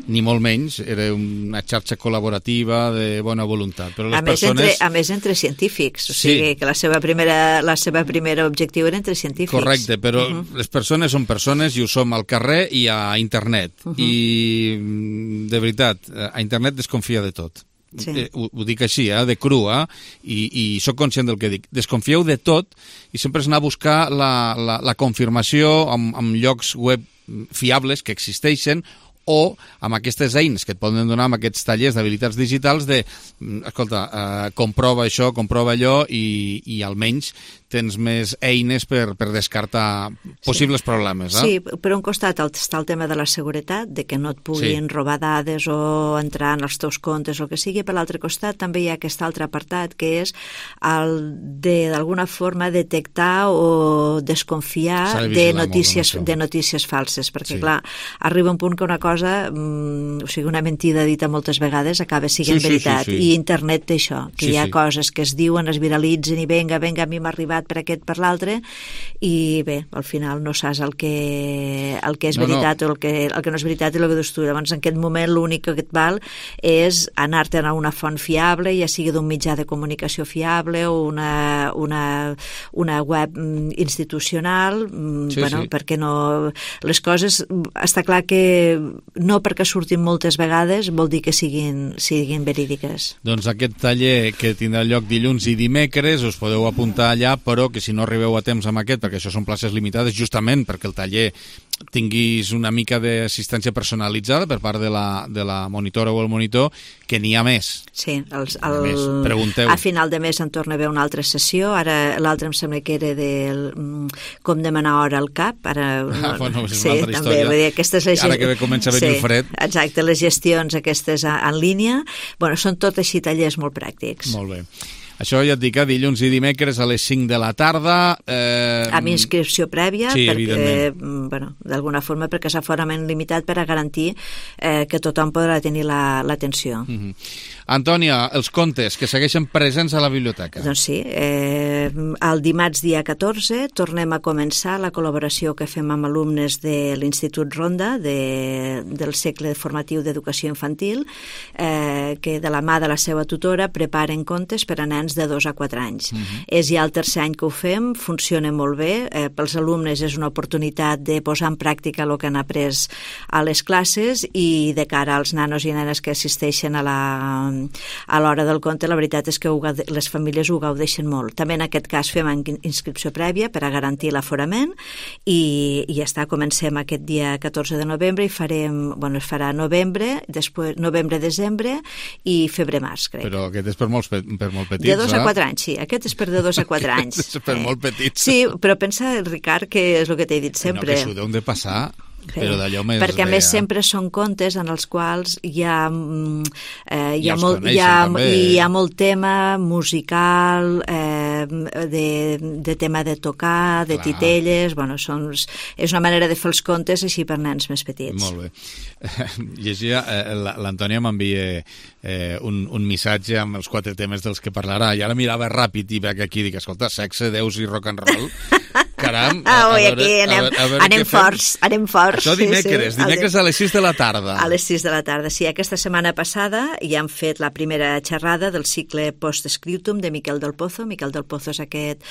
ni molt menys, era una xarxa col·laborativa de bona voluntat. Però les persones... A més, entre científics, o sigui que la seva primera objectiu era entre científics. Correcte, però les persones són persones i ho som al carrer i a internet. I, de veritat, a internet desconfia de tot. Ho dic així, de cru, i sóc conscient del que dic. Desconfieu de tot i sempre és anar a buscar la confirmació en llocs web fiables que existeixen o amb aquestes eines que et poden donar amb aquests tallers d'habilitats digitals de, escolta, comprova això, comprova allò i almenys tens més eines per descartar possibles problemes. Sí, per un costat està el tema de la seguretat, de que no et puguin robar dades o entrar en els teus comptes o el que sigui. Per l'altre costat també hi ha aquest altre apartat que és el de d'alguna forma detectar o desconfiar de notícies falses, perquè clar, arriba un punt que una cosa cosa, o sigui, una mentida dita moltes vegades acaba sent veritat. Sí. I internet té això, que hi ha coses que es diuen, es viralitzen i venga, a mi m'ha arribat per aquest, per l'altre, i bé, al final no saps el que és veritat o el que no és veritat i el que dius tu. Llavors, en aquest moment, l'únic que et val és anar-te'n a una font fiable, ja sigui d'un mitjà de comunicació fiable o una web institucional, perquè no... Les coses, està clar que no perquè surtin moltes vegades vol dir que siguin verídiques. Doncs aquest taller que tindrà lloc dilluns i dimecres us podeu apuntar allà, però que si no arribeu a temps amb aquest, perquè això són places limitades, justament perquè el taller tinguis una mica d'assistència personalitzada per part de la monitora o el monitor, que n'hi ha més. Sí, pregunteu. A final de mes en torna a haver una altra sessió, ara l'altra em sembla que era com demanar hora al CAP, ara... Bueno, és una altra història. Ara que comença a venir el fred. Exacte, les gestions aquestes en línia, són tot així tallers molt pràctics. Molt bé. Això ja et dic, dilluns i dimecres a les 5 de la tarda. Amb inscripció prèvia, d'alguna forma, perquè és aforament limitat per a garantir que tothom podrà tenir l'atenció. Antònia, els contes que segueixen presents a la biblioteca. Doncs sí, el dimarts dia 14 tornem a començar la col·laboració que fem amb alumnes de l'Institut Ronda del cicle formatiu d'educació infantil, que de la mà de la seva tutora preparen contes per a nens de 2 a 4 anys. És ja el tercer any que ho fem, funciona molt bé, pels alumnes és una oportunitat de posar en pràctica el que han après a les classes i de cara als nanos i nenes que assisteixen a l'hora del conte, la veritat és que les famílies ho gaudeixen molt. També en aquest cas fem inscripció prèvia per a garantir l'aforament i ja està, comencem aquest dia 14 de novembre i es farà novembre-desembre i febrer-març, crec. Però aquest és per molt petits, de 2 a 4 anys, sí. Aquest és per de 2 a 4 anys. És per molt petits. Sí, però pensa, Ricard, que és el que t'he dit sempre. No, que s'ho deuen de passar... Però d'allò més... Perquè a més sempre són contes en els quals hi ha molt tema musical, de tema de tocar, de titelles, és una manera de fer els contes així per nens més petits. Molt bé. Llegia, l'Antònia m'envia un missatge amb els 4 temes dels que parlarà, i ara mirava ràpid i veig aquí, dic, escolta, sexe, déus i rock and roll... Caram, anem forts. Això dimecres a les 6 de la tarda. A les 6 de la tarda, sí. Aquesta setmana passada ja han fet la primera xerrada del cicle Post-Scriptum de Miquel del Pozo. Miquel del Pozo és aquest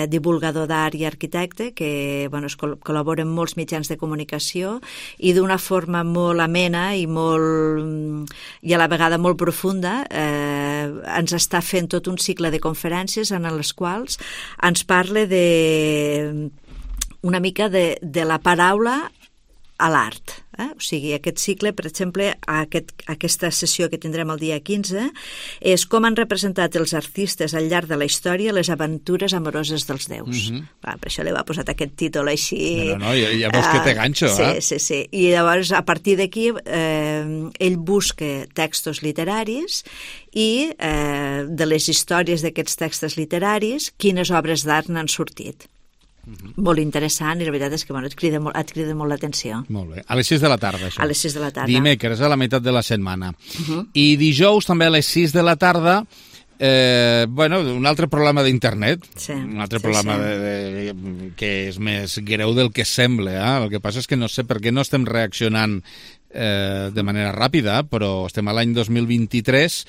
divulgador d'art i arquitecte que col·labora en molts mitjans de comunicació i d'una forma molt amena i a la vegada molt profunda ens està fent tot un cicle de conferències en les quals ens parla una mica de la paraula a l'art. O sigui, aquest cicle, per exemple, aquesta sessió que tindrem el dia 15 és com han representat els artistes al llarg de la història les aventures amoroses dels déus. Per això li va posat aquest títol així... No, ja veus que té ganxo, Sí. I llavors, a partir d'aquí, ell busca textos literaris i de les històries d'aquests textos literaris, quines obres d'art n'han sortit. Molt interessant i la veritat és que et crida molt l'atenció. Molt bé. A les 6 de la tarda, això. A les 6 de la tarda. Dimecres, a la meitat de la setmana. I dijous, també a les 6 de la tarda, un altre problema d'internet. Un altre problema que és més greu del que sembla. El que passa és que no sé per què no estem reaccionant de manera ràpida, però estem a l'any 2023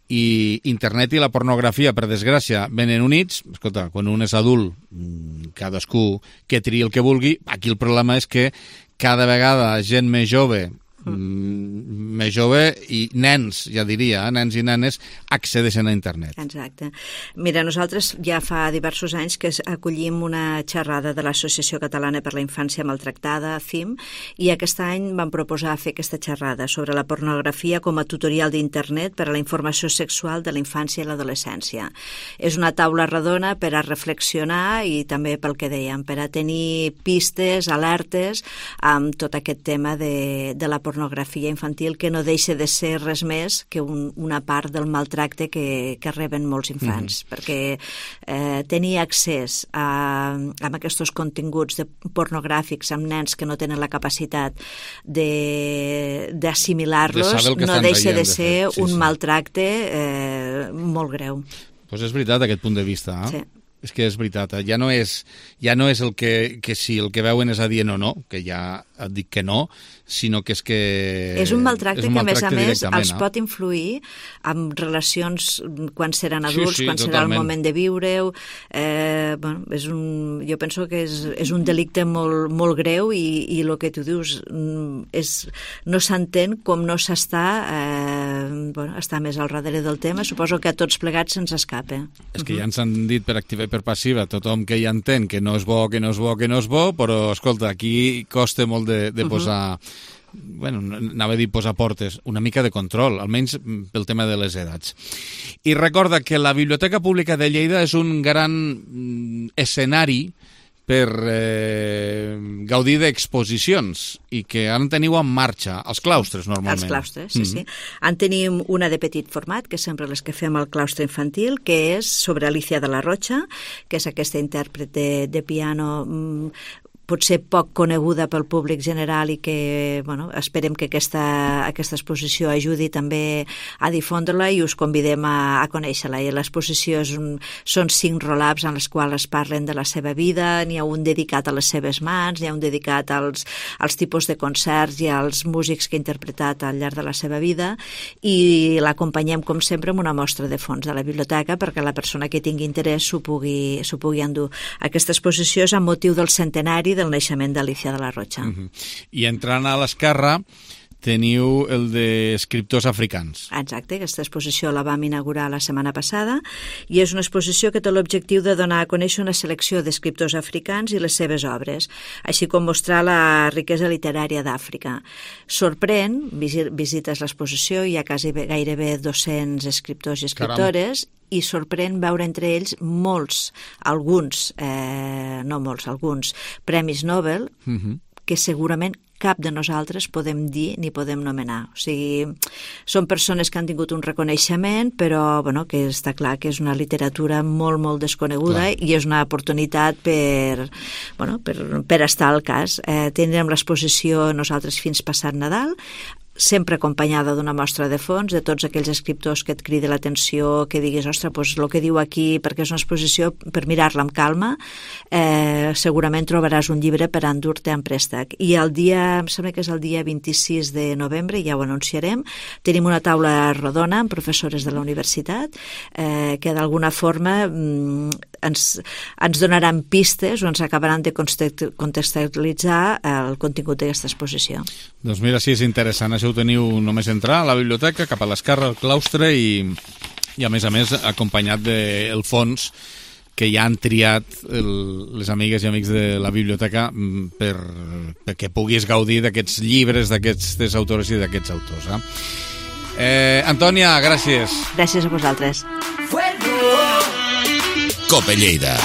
i internet i la pornografia, per desgràcia, venen units. Escolta, quan un és adult, cadascú que triï el que vulgui. Aquí el problema és que cada vegada gent més jove i nens, ja diria, nens i nenes accedeixen a internet. Exacte. Mira, nosaltres ja fa diversos anys que acollim una xerrada de l'Associació Catalana per la Infància Maltractada, ACIM, i aquest any vam proposar fer aquesta xerrada sobre la pornografia com a tutorial d'internet per a la informació sexual de la infància i l'adolescència. És una taula redona per a reflexionar i també pel que dèiem, per a tenir pistes, alertes amb tot aquest tema de la pornografia infantil, que que no deixa de ser res més que una part del maltracte que reben molts infants, perquè tenir accés a aquests continguts pornogràfics amb nens que no tenen la capacitat d'assimilar-los no deixa de ser un maltracte molt greu. Doncs és veritat aquest punt de vista, Sí. És que és veritat, ja no és el que si el que veuen és adient o no, que ja et dic que no, sinó que és que... És un maltracte que, a més, els pot influir en relacions quan seran adults, quan serà el moment de viure-ho. Jo penso que és un delicte molt greu i el que tu dius no s'entén com no s'està està més al darrere del tema. Suposo que a tots plegats se'ns escapa. És que ja ens han dit per activa i per passiva tothom que ja entén que no és bo, però, escolta, aquí costa molt de posar... anava a dir posar portes, una mica de control, almenys pel tema de les edats. I recorda que la Biblioteca Pública de Lleida és un gran escenari per gaudir d'exposicions i que ara en teniu en marxa, els claustres, normalment. Els claustres, sí. En tenim una de petit format, que sempre les que fem al claustre infantil, que és sobre Alicia de la Rocha, que és aquesta intèrpret de piano potser poc coneguda pel públic general i que esperem que aquesta exposició ajudi també a difondre-la i us convidem a conèixer-la. I l'exposició són 5 roll-ups en les quals es parlen de la seva vida, n'hi ha un dedicat a les seves mans, n'hi ha un dedicat als tipus de concerts i als músics que ha interpretat al llarg de la seva vida i l'acompanyem, com sempre, amb una mostra de fons de la biblioteca perquè la persona que tingui interès s'ho pugui endur. Aquesta exposició és amb motiu del centenari del naixement d'Alicia de la Rocha. I entrant a l'esquerra teniu el d'escriptors africans. Exacte, aquesta exposició la vam inaugurar la setmana passada i és una exposició que té l'objectiu de donar a conèixer una selecció d'escriptors africans i les seves obres, així com mostrar la riquesa literària d'Àfrica. Sorprèn, visites l'exposició, hi ha gairebé 200 escriptors i escriptores, i sorprèn veure entre ells alguns premis Nobel que segurament cap de nosaltres podem dir ni podem nomenar. O sigui, són persones que han tingut un reconeixement, però que està clar que és una literatura molt, molt desconeguda i és una oportunitat per estar al cas. Tindrem l'exposició nosaltres fins passat Nadal, sempre acompanyada d'una mostra de fons, de tots aquells escriptors que et cridi l'atenció, que diguis, ostres, doncs el que diu aquí, perquè és una exposició per mirar-la amb calma, segurament trobaràs un llibre per endur-te en préstec. I el dia, em sembla que és el dia 26 de novembre, ja ho anunciarem, tenim una taula rodona amb professores de la universitat que d'alguna forma ens donaran pistes o ens acabaran de contextualitzar el contingut d'aquesta exposició. Doncs mira, sí, és interessant. Això ho teniu només entrar a la biblioteca, cap a l'esquerra, al claustre i a més, acompanyat del fons que ja han triat les amigues i amics de la biblioteca perquè puguis gaudir d'aquests llibres, d'aquestes autores i d'aquests autors. Antònia, gràcies. Gràcies a vosaltres. Cope Lleida.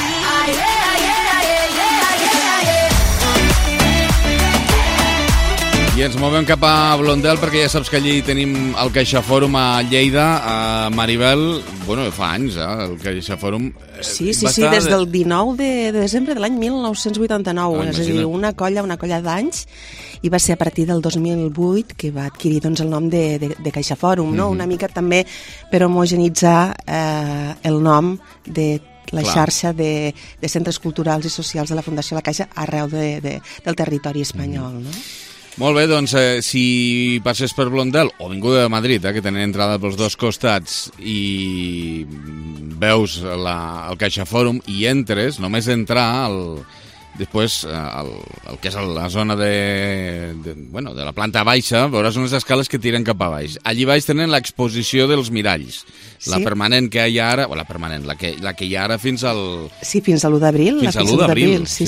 I ens movem cap a Blondel perquè ja saps que allí tenim el CaixaFòrum a Lleida, a Maribel, fa anys, el CaixaFòrum. Sí, des del 19 de desembre de l'any 1989, és a dir, una colla d'anys, i va ser a partir del 2008 que va adquirir el nom de CaixaFòrum, no? Una mica també per homogenitzar el nom de la xarxa de centres culturals i socials de la Fundació La Caixa arreu del territori espanyol, no? Molt bé, doncs si passes per Blondel o vinguda de Madrid, que tenen entrada pels dos costats i veus el CaixaFòrum i entres, només entrar després el que és la zona de la planta baixa, veuràs unes escales que tiren cap a baix. Allí baix tenen l'exposició dels miralls, la permanent que hi ha ara, o la permanent, la que hi ha ara fins al... Sí, fins a l'1 d'abril. Fins a l'1 d'abril, sí.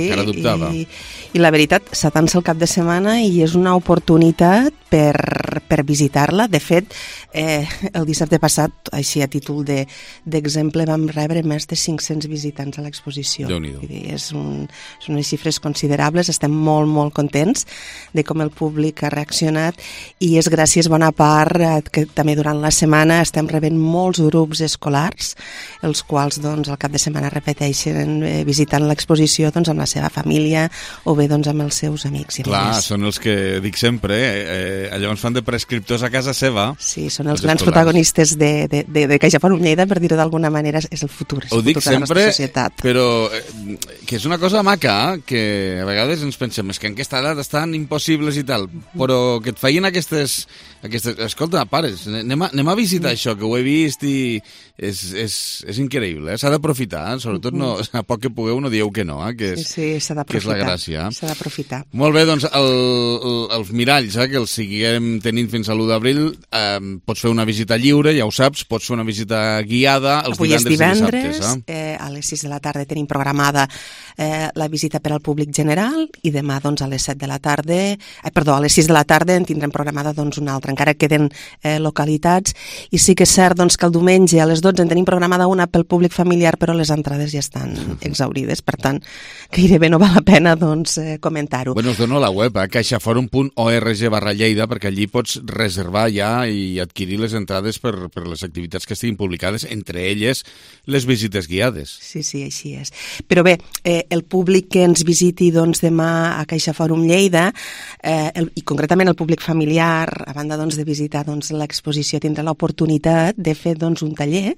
Encara dubtava. I la veritat, s'atança el cap de setmana i és una oportunitat per visitar-la. De fet, el dissabte passat, així a títol d'exemple, vam rebre més de 500 visitants a l'exposició. Déu-n'hi-do. És un són unes xifres considerables, estem molt, molt contents de com el públic ha reaccionat i és gràcies bona part que també durant la setmana estem rebent molts grups escolars, els quals doncs, al cap de setmana repeteixen visitant l'exposició doncs, amb la seva família o bé doncs, amb els seus amics. Clar, són els que dic sempre, llavors fan de prescriptors a casa seva. Sí, són els grans protagonistes de CaixaForum Lleida, per dir-ho d'alguna manera, és el futur, ho dic de la nostra societat. Però que és una cosa maca, que a vegades ens pensem és que en aquesta edat estan impossibles i tal, però que et feien aquestes... Escolta, pares, anem a visitar això, que ho he vist i és increïble, s'ha d'aprofitar, sobretot a poc que pugueu no dieu que no, que és la gràcia. S'ha d'aprofitar. Molt bé, doncs els miralls, que els seguirem tenint fins a l'1 d'abril, pots fer una visita lliure, ja ho saps, pots fer una visita guiada els divendres i dissabtes. A les 6 de la tarda tenim programada la visita per al públic general i demà doncs, a les 7 de la tarda, a les 6 de la tarda en tindrem programada doncs, una altra, encara queden localitats, i sí que és cert doncs, que el diumenge a les 12 en tenim programada una pel públic familiar, però les entrades ja estan exaurides, per tant, gairebé no val la pena doncs, comentar-ho. Bueno, us dono la web, caixaforum.org/Lleida, perquè allí pots reservar ja i adquirir les entrades per les activitats que estiguin publicades, entre elles les visites guiades. Sí, així és. Però bé, el públic que ens visiti doncs, demà a CaixaForum Lleida, i concretament el públic familiar, a banda doncs, de visitar doncs, l'exposició, tindrà l'oportunitat de fer doncs, un taller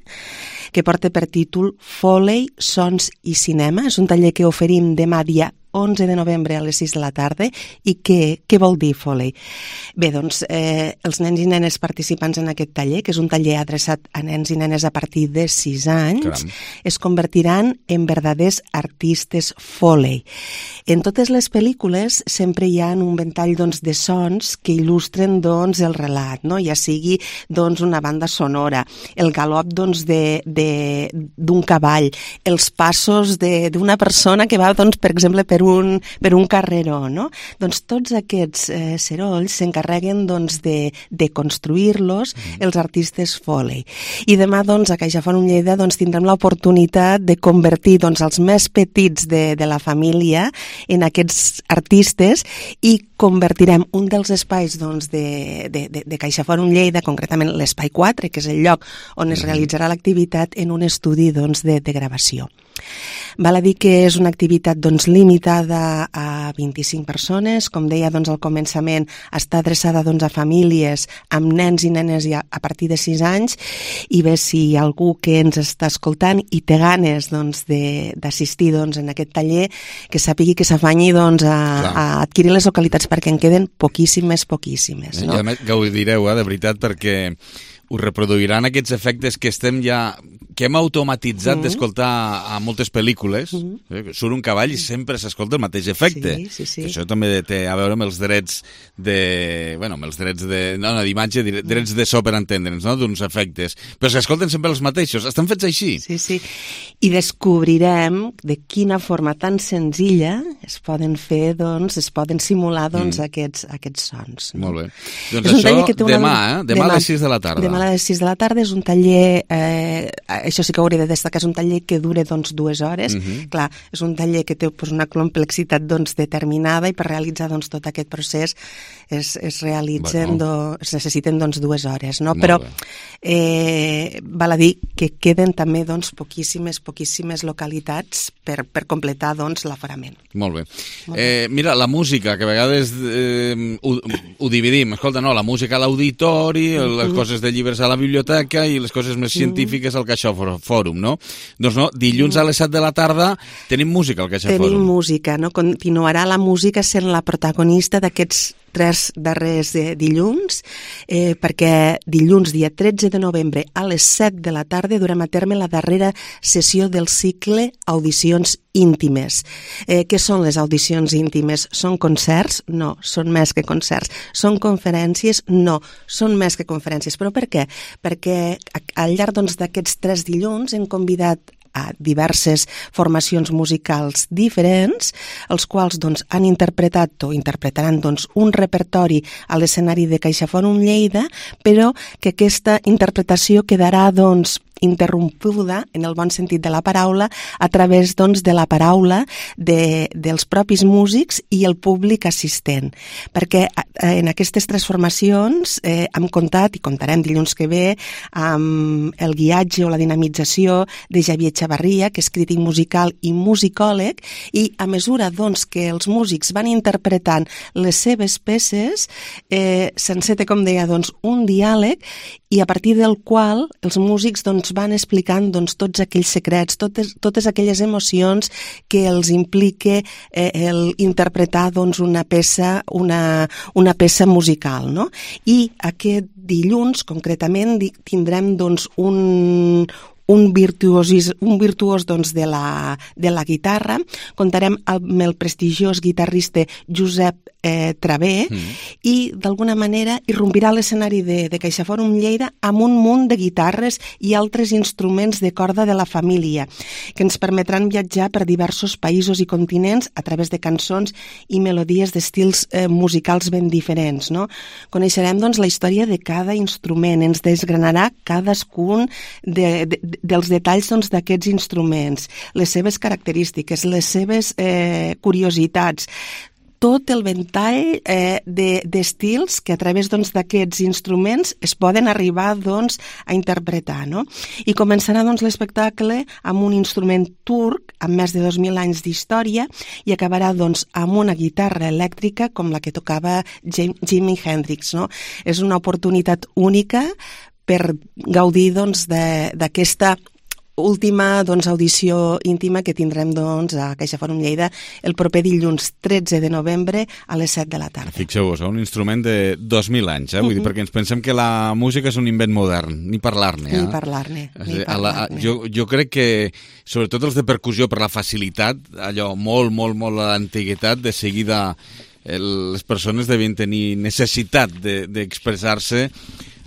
que porta per títol Foley, Sons i Cinema. És un taller que oferim demà dia 11 de novembre a les 6 de la tarda. I què vol dir Foley? Bé, doncs, els nens i nenes participants en aquest taller, que és un taller adreçat a nens i nenes a partir de 6 anys, es convertiran en verdaders artistes Foley. En totes les pel·lícules sempre hi ha un ventall doncs, de sons que il·lustren doncs, el relat, no? Ja sigui doncs, una banda sonora, el galop doncs, d'un cavall, els passos d'una persona que va, doncs, per exemple, per un carreró, no? Doncs tots aquests serolls s'encarreguen doncs, de construir-los els artistes Foley. I demà doncs, a CaixaForum Lleida doncs, tindrem l'oportunitat de convertir doncs, els més petits de la família en aquests artistes i convertirem un dels espais doncs, de CaixaForum Lleida, concretament l'espai 4, que és el lloc on es realitzarà l'activitat, en un estudi doncs, de gravació. Val a dir que és una activitat doncs, limitada a 25 persones. Com deia doncs, al començament, està adreçada doncs, a famílies amb nens i nenes a partir de 6 anys. I bé, si hi ha algú que ens està escoltant i té ganes doncs, d'assistir doncs, en aquest taller, que sàpigui que s'afanyi doncs, a adquirir les localitats, perquè en queden poquíssimes. No? I a més gaudireu, de veritat, perquè us reproduiran aquests efectes que hem automatitzat d'escoltar a moltes pel·lícules. Surt un cavall i sempre s'escolta el mateix efecte. Sí. Això també té a veure amb els drets d'imatge, drets de so, per entendre'ns, no? D'uns efectes. Però s'escolten sempre els mateixos. Estan fets així. Sí. I descobrirem de quina forma tan senzilla es poden fer, doncs, es poden simular doncs, aquests sons. No? Molt bé. Doncs això demà a les 6 de la tarda. Demà a les 6 de la tarda és un taller, això sí que hauria de destacar, és un taller que dura doncs, 2 hores. Clar, és un taller que té doncs, una complexitat doncs, determinada, i per realitzar doncs, tot aquest procés es necessiten doncs, 2 hores. No? Però val a dir que queden també doncs, poquíssimes localitats per completar doncs, l'aforament. Molt bé. Mira, la música, que a vegades ho dividim. Escolta, no, la música a l'auditori, les coses de llibres a la biblioteca i les coses més científiques al CaixaForum, no? Doncs no, dilluns a les 7 de la tarda tenim música al CaixaForum. Tenim música, no? Continuarà la música sent la protagonista d'aquests 3 darrers dilluns, perquè dilluns, dia 13 de novembre, a les 7 de la tarda, durem a terme la darrera sessió del cicle Audicions íntimes. Què són les audicions íntimes? Són concerts? No, són més que concerts. Són conferències? No, són més que conferències. Però per què? Perquè al llarg doncs, d'aquests 3 dilluns hem convidat a diverses formacions musicals diferents, els quals doncs, han interpretat o interpretaran doncs, un repertori a l'escenari de CaixaForum Lleida, però que aquesta interpretació quedarà doncs, interrompuda, en el bon sentit de la paraula, a través doncs, de la paraula dels propis músics i el públic assistent. Perquè en aquestes transformacions hem comptat, i contarem dilluns que ve, amb el guiatge o la dinamització de Xavier Chavarria, que és crític musical i musicòleg, i a mesura doncs, que els músics van interpretant les seves peces, s'enceta, com deia, doncs, un diàleg, i a partir del qual els músics doncs, van explicant doncs, tots aquells secrets, totes aquelles emocions que els implica el interpretar doncs, una peça musical. No? I aquest dilluns, concretament, tindrem doncs, un virtuós doncs, de la guitarra. Contarem amb el prestigiós guitarrista Josep Travé i d'alguna manera irrompirà l'escenari de CaixaForum Lleida amb un munt de guitarres i altres instruments de corda de la família que ens permetran viatjar per diversos països i continents a través de cançons i melodies d'estils musicals ben diferents. No? Coneixerem doncs, la història de cada instrument, ens desgranarà cadascun dels detalls doncs, d'aquests instruments, les seves característiques, les seves curiositats, tot el ventall d'estils que a través doncs, d'aquests instruments es poden arribar doncs, a interpretar. No? I començarà doncs, l'espectacle amb un instrument turc amb més de 2.000 anys d'història i acabarà doncs, amb una guitarra elèctrica com la que tocava Jimi Hendrix. No? És una oportunitat única per gaudir doncs, d'aquesta última doncs, audició íntima que tindrem doncs, a CaixaForum Lleida el proper dilluns 13 de novembre a les 7 de la tarda. Fixeu-vos, un instrument de 2.000 anys, vull dir, perquè ens pensem que la música és un invent modern, ni parlar-ne. Ni parlar-ne. Jo crec que, sobretot els de percussió, per la facilitat, allò molt a l'antiguitat, de seguida les persones devien tenir necessitat d'expressar-se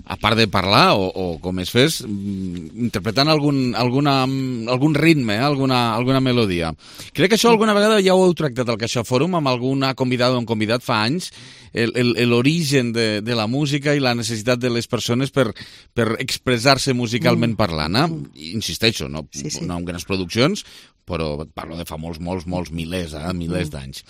a part de parlar, o com es fes, interpretant algun ritme, alguna melodia. Crec que això alguna vegada ja ho heu tractat al CaixaForum amb alguna convidada o un convidat fa anys, l'origen de la música i la necessitat de les persones per expressar-se musicalment parlant. Insisteixo, no amb grans produccions, però parlo de fa molts milers d'anys.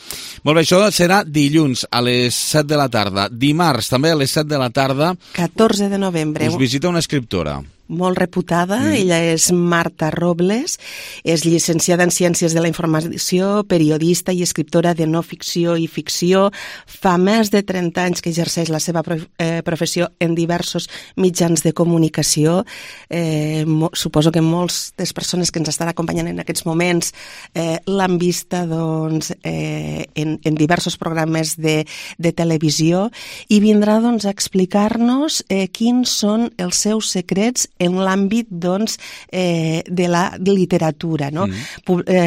Molt bé, això serà dilluns a les 7 de la tarda. Dimarts, també a les 7 de la tarda, 14 de novembre. Us visita una escriptora molt reputada, ella és Marta Robles, és llicenciada en Ciències de la Informació, periodista i escriptora de no ficció i ficció. Fa més de 30 anys que exerceix la seva professió en diversos mitjans de comunicació. Suposo que moltes de les persones que ens estan acompanyant en aquests moments l'han vista doncs, en diversos programes de televisió i vindrà doncs, a explicar-nos quins són els seus secrets en l'àmbit doncs, de la literatura. No?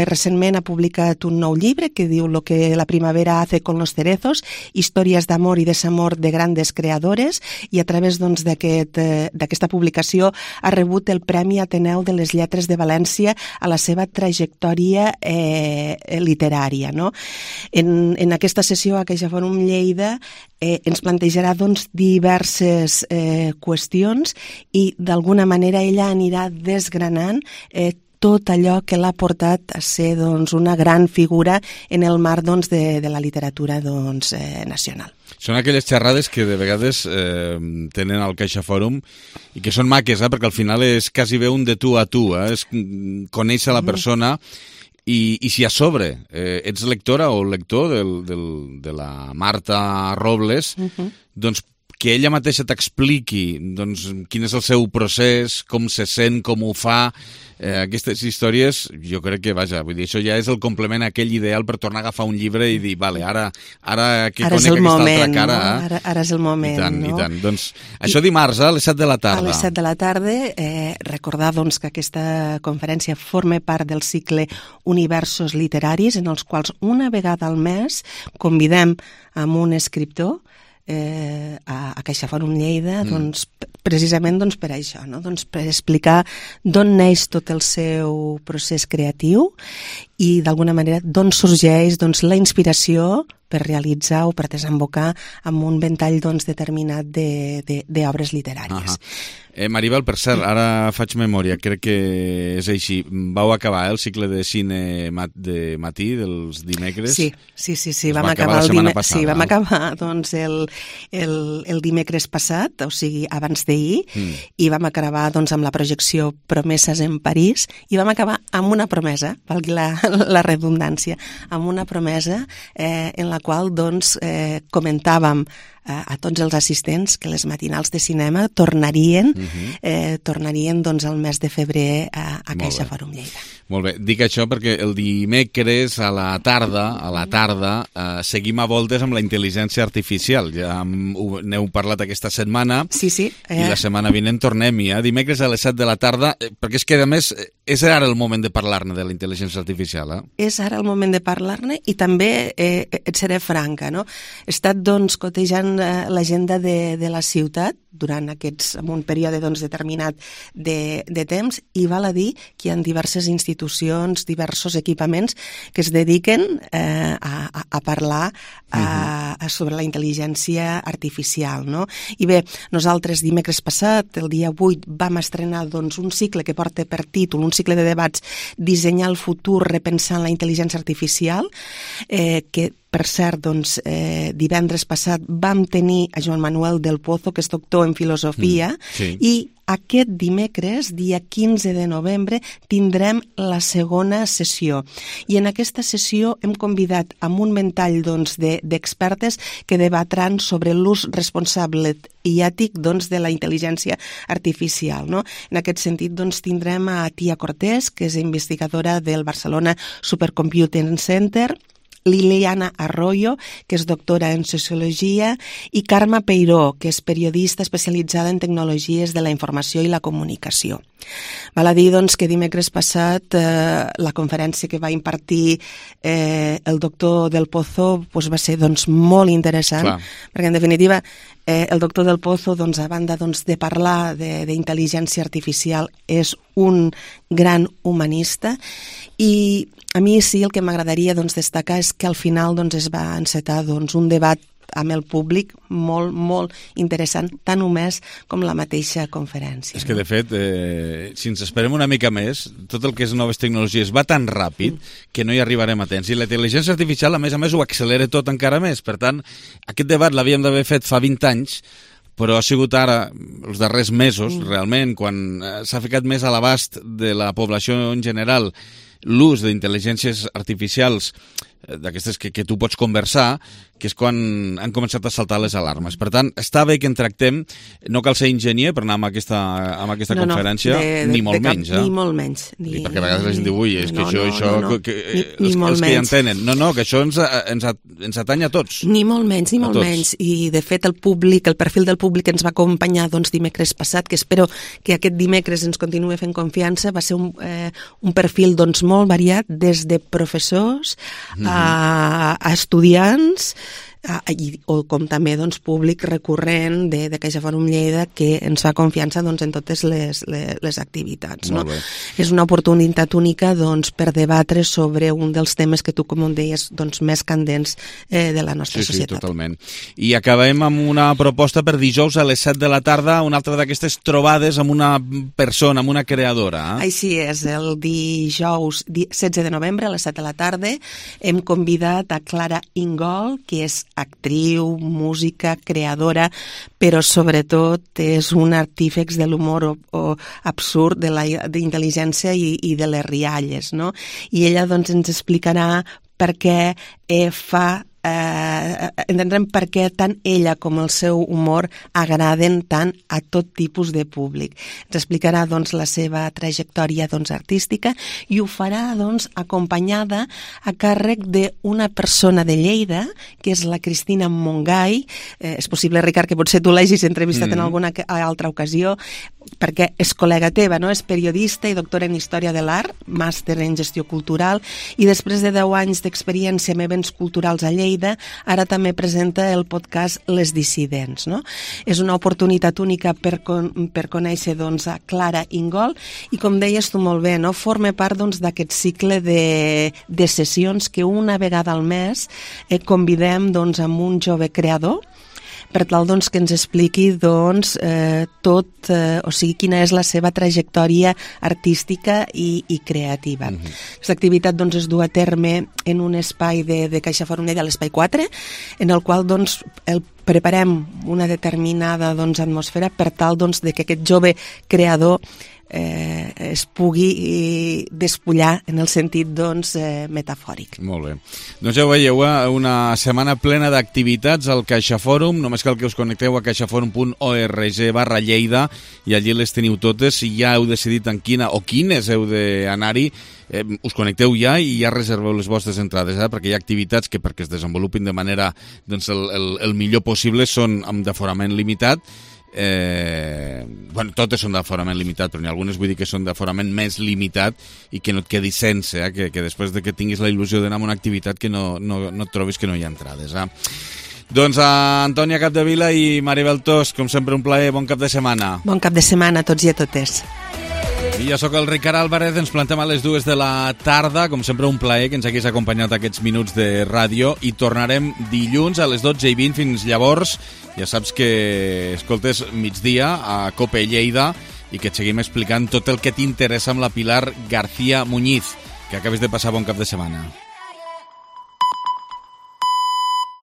Recentment ha publicat un nou llibre que diu Lo que la primavera hace con los cerezos, històries d'amor i desamor de grandes creadores, i a través doncs, d'aquesta publicació ha rebut el Premi Ateneu de les Lletres de València a la seva trajectòria literària. No? En aquesta sessió a CaixaForum Lleida ens plantejarà doncs, diverses qüestions i d'alguna manera ella anirà desgranant tot allò que l'ha portat a ser doncs, una gran figura en el marc doncs, de la literatura doncs, nacional. Són aquelles xerrades que de vegades tenen al CaixaForum i que són maques, perquè al final és quasi bé un de tu a tu, és conèixer la persona i si a sobre ets lectora o lector de la Marta Robles, doncs que ella mateixa t'expliqui doncs, quin és el seu procés, com se sent, com ho fa, aquestes històries, jo crec que, vaja, vull dir, això ja és el complement a aquell ideal per tornar a agafar un llibre i dir, vale, ara que conec aquesta altra cara. No? Ara és el moment. I tant. Doncs, això dimarts, a les 7 de la tarda. A les 7 de la tarda, recordar doncs, que aquesta conferència forma part del cicle Universos Literaris, en els quals una vegada al mes convidem amb un escriptor a CaixaForum Lleida doncs, precisament doncs, per això, no? Doncs, per explicar d'on neix tot el seu procés creatiu i d'alguna manera d'on sorgeix doncs, la inspiració per realitzar o per desembocar amb un ventall doncs, determinat d'obres literàries. Maribel, per cert, ara faig memòria, crec que és així. Vau acabar el cicle de cine de matí dels dimecres? Sí, vam acabar vam acabar doncs, el dimecres passat, o sigui, abans d'ahir, i vam acabar doncs, amb la projecció Promeses en París, i vam acabar amb una promesa, valgui la redundància, amb una promesa en la qual doncs, comentàvem a tots els assistents que les matinals de cinema tornarien doncs el mes de febrer a Caixa Fòrum Lleida. Molt bé, dic això perquè el dimecres a la tarda seguim a voltes amb la intel·ligència artificial. Ja n'heu parlat aquesta setmana. Sí. I la setmana vinent tornem-hi, dimecres a les 7 de la tarda, perquè és que a més és ara el moment de parlar-ne de la intel·ligència artificial. És ara el moment de parlar-ne i també et seré franca, no? He estat doncs cotejant l'agenda de la ciutat durant en un període doncs, determinat de temps, i val a dir que hi ha diverses institucions, diversos equipaments que es dediquen a parlar sobre la intel·ligència artificial. No? I bé, nosaltres dimecres passat, el dia 8, vam estrenar doncs, un cicle que porta per títol, un cicle de debats, Dissenyar el futur repensant la intel·ligència artificial, que per cert, doncs, divendres passat vam tenir a Joan Manuel del Pozo, que és doctor en filosofia, i aquest dimecres, dia 15 de novembre, tindrem la segona sessió. I en aquesta sessió hem convidat amb un ventall doncs, d'expertes que debatran sobre l'ús responsable i ètic doncs, de la intel·ligència artificial. No? En aquest sentit, doncs, tindrem a Tia Cortés, que és investigadora del Barcelona Supercomputing Center, Liliana Arroyo, que és doctora en Sociologia, i Carme Peiró, que és periodista especialitzada en tecnologies de la informació i la comunicació. Val a dir doncs, que dimecres passat la conferència que va impartir el doctor del Pozo doncs, va ser doncs, molt interessant, perquè en definitiva el doctor del Pozo, doncs, a banda doncs, de parlar d'intel·ligència artificial, és un gran humanista, i a mi sí el que m'agradaria doncs, destacar és que al final doncs, es va encetar doncs, un debat amb el públic molt, molt interessant, tan només com la mateixa conferència. És que, de fet, si ens esperem una mica més, tot el que és noves tecnologies va tan ràpid que no hi arribarem a temps. I la intel·ligència artificial, a més, ho accelera tot encara més. Per tant, aquest debat l'havíem d'haver fet fa 20 anys, però ha sigut ara, els darrers mesos, realment, quan s'ha ficat més a l'abast de la població en general l'ús d'intel·ligències artificials d'aquestes que tu pots conversar, que és quan han començat a saltar les alarmes. Per tant, està bé que en tractem, no cal ser enginyer per anar amb aquesta conferència, ni molt menys. Ni molt menys. Perquè a vegades la gent diu, ui, és que això... Els que hi entenen. No, que això ens atanya a tots. Ni molt menys. I, de fet, el perfil del públic que ens va acompanyar dimecres passat, que espero que aquest dimecres ens continuï fent confiança, va ser un perfil molt variat, des de professors a estudiants, o com també públic recurrent de Caixa Fòrum Lleida, que ens fa confiança en totes les activitats. No? És una oportunitat única per debatre sobre un dels temes que tu, com deies, més candents de la nostra societat. Sí, totalment. I acabem amb una proposta per dijous a les 7 de la tarda, una altra d'aquestes trobades amb una persona, amb una creadora. Així és, el dijous 16 de novembre a les 7 de la tarda hem convidat a Clara Ingol, que és actriu, música, creadora, però sobretot és un artífex de l'humor absurd, d'intel·ligència i de les rialles, no? I ella ens explicarà per què entendrem per què tant ella com el seu humor agraden tant a tot tipus de públic. Ens explicarà la seva trajectòria artística i ho farà acompanyada a càrrec d'una persona de Lleida, que és la Cristina Montgai. És possible, Ricard, que potser tu l'hagis entrevistat en alguna altra ocasió, perquè és col·lega teva, no? És periodista i doctora en Història de l'Art, màster en Gestió Cultural, i després de 10 anys d'experiència en events culturals a Lleida, Lleida ara també presenta el podcast Les Dissidents, no? És una oportunitat única per conèixer doncs, a Clara Ingol i, com deies tu molt bé, no? Forma part doncs, d'aquest cicle de sessions que una vegada al mes convidem doncs, amb un jove creador per tal doncs, que ens expliqui doncs, o sigui, quina és la seva trajectòria artística i creativa. Aquesta activitat doncs, es du a terme en un espai de Caixa Fòrum Lleida, l'Espai 4, en el qual doncs, preparem una determinada doncs, atmosfera per tal doncs, de que aquest jove creador es pugui despullar en el sentit doncs, metafòric. Molt bé. Doncs ja ho veieu, una setmana plena d'activitats al Caixa Fòrum. Només cal que us connecteu a caixaforum.org/Lleida i allí les teniu totes. Si ja heu decidit en quina o quines heu d'anar-hi, us connecteu ja i ja reserveu les vostres entrades, perquè hi ha activitats que perquè es desenvolupin de manera doncs, el millor possible són amb d'aforament limitat. Bueno, totes són d'aforament limitat, però n'hi ha algunes vull dir que són d'aforament més limitat i que no et quedi sense, que després de que tinguis la il·lusió d'anar a una activitat que no et trobis que no hi ha entrades. Doncs a Antònia Capdevila i Maribel Tos, com sempre un plaer, bon cap de setmana. Bon cap de setmana a tots i a totes. I jo sóc el Ricard Álvarez, ens plantem a les 2 de la tarda, com sempre un plaer que ens hagués acompanyat aquests minuts de ràdio i tornarem dilluns a les 12:20 fins llavors. Ja saps que escoltes migdia a COPE Lleida i que et seguim explicant tot el que t'interessa amb la Pilar García Muñiz. Que acabes de passar bon cap de setmana.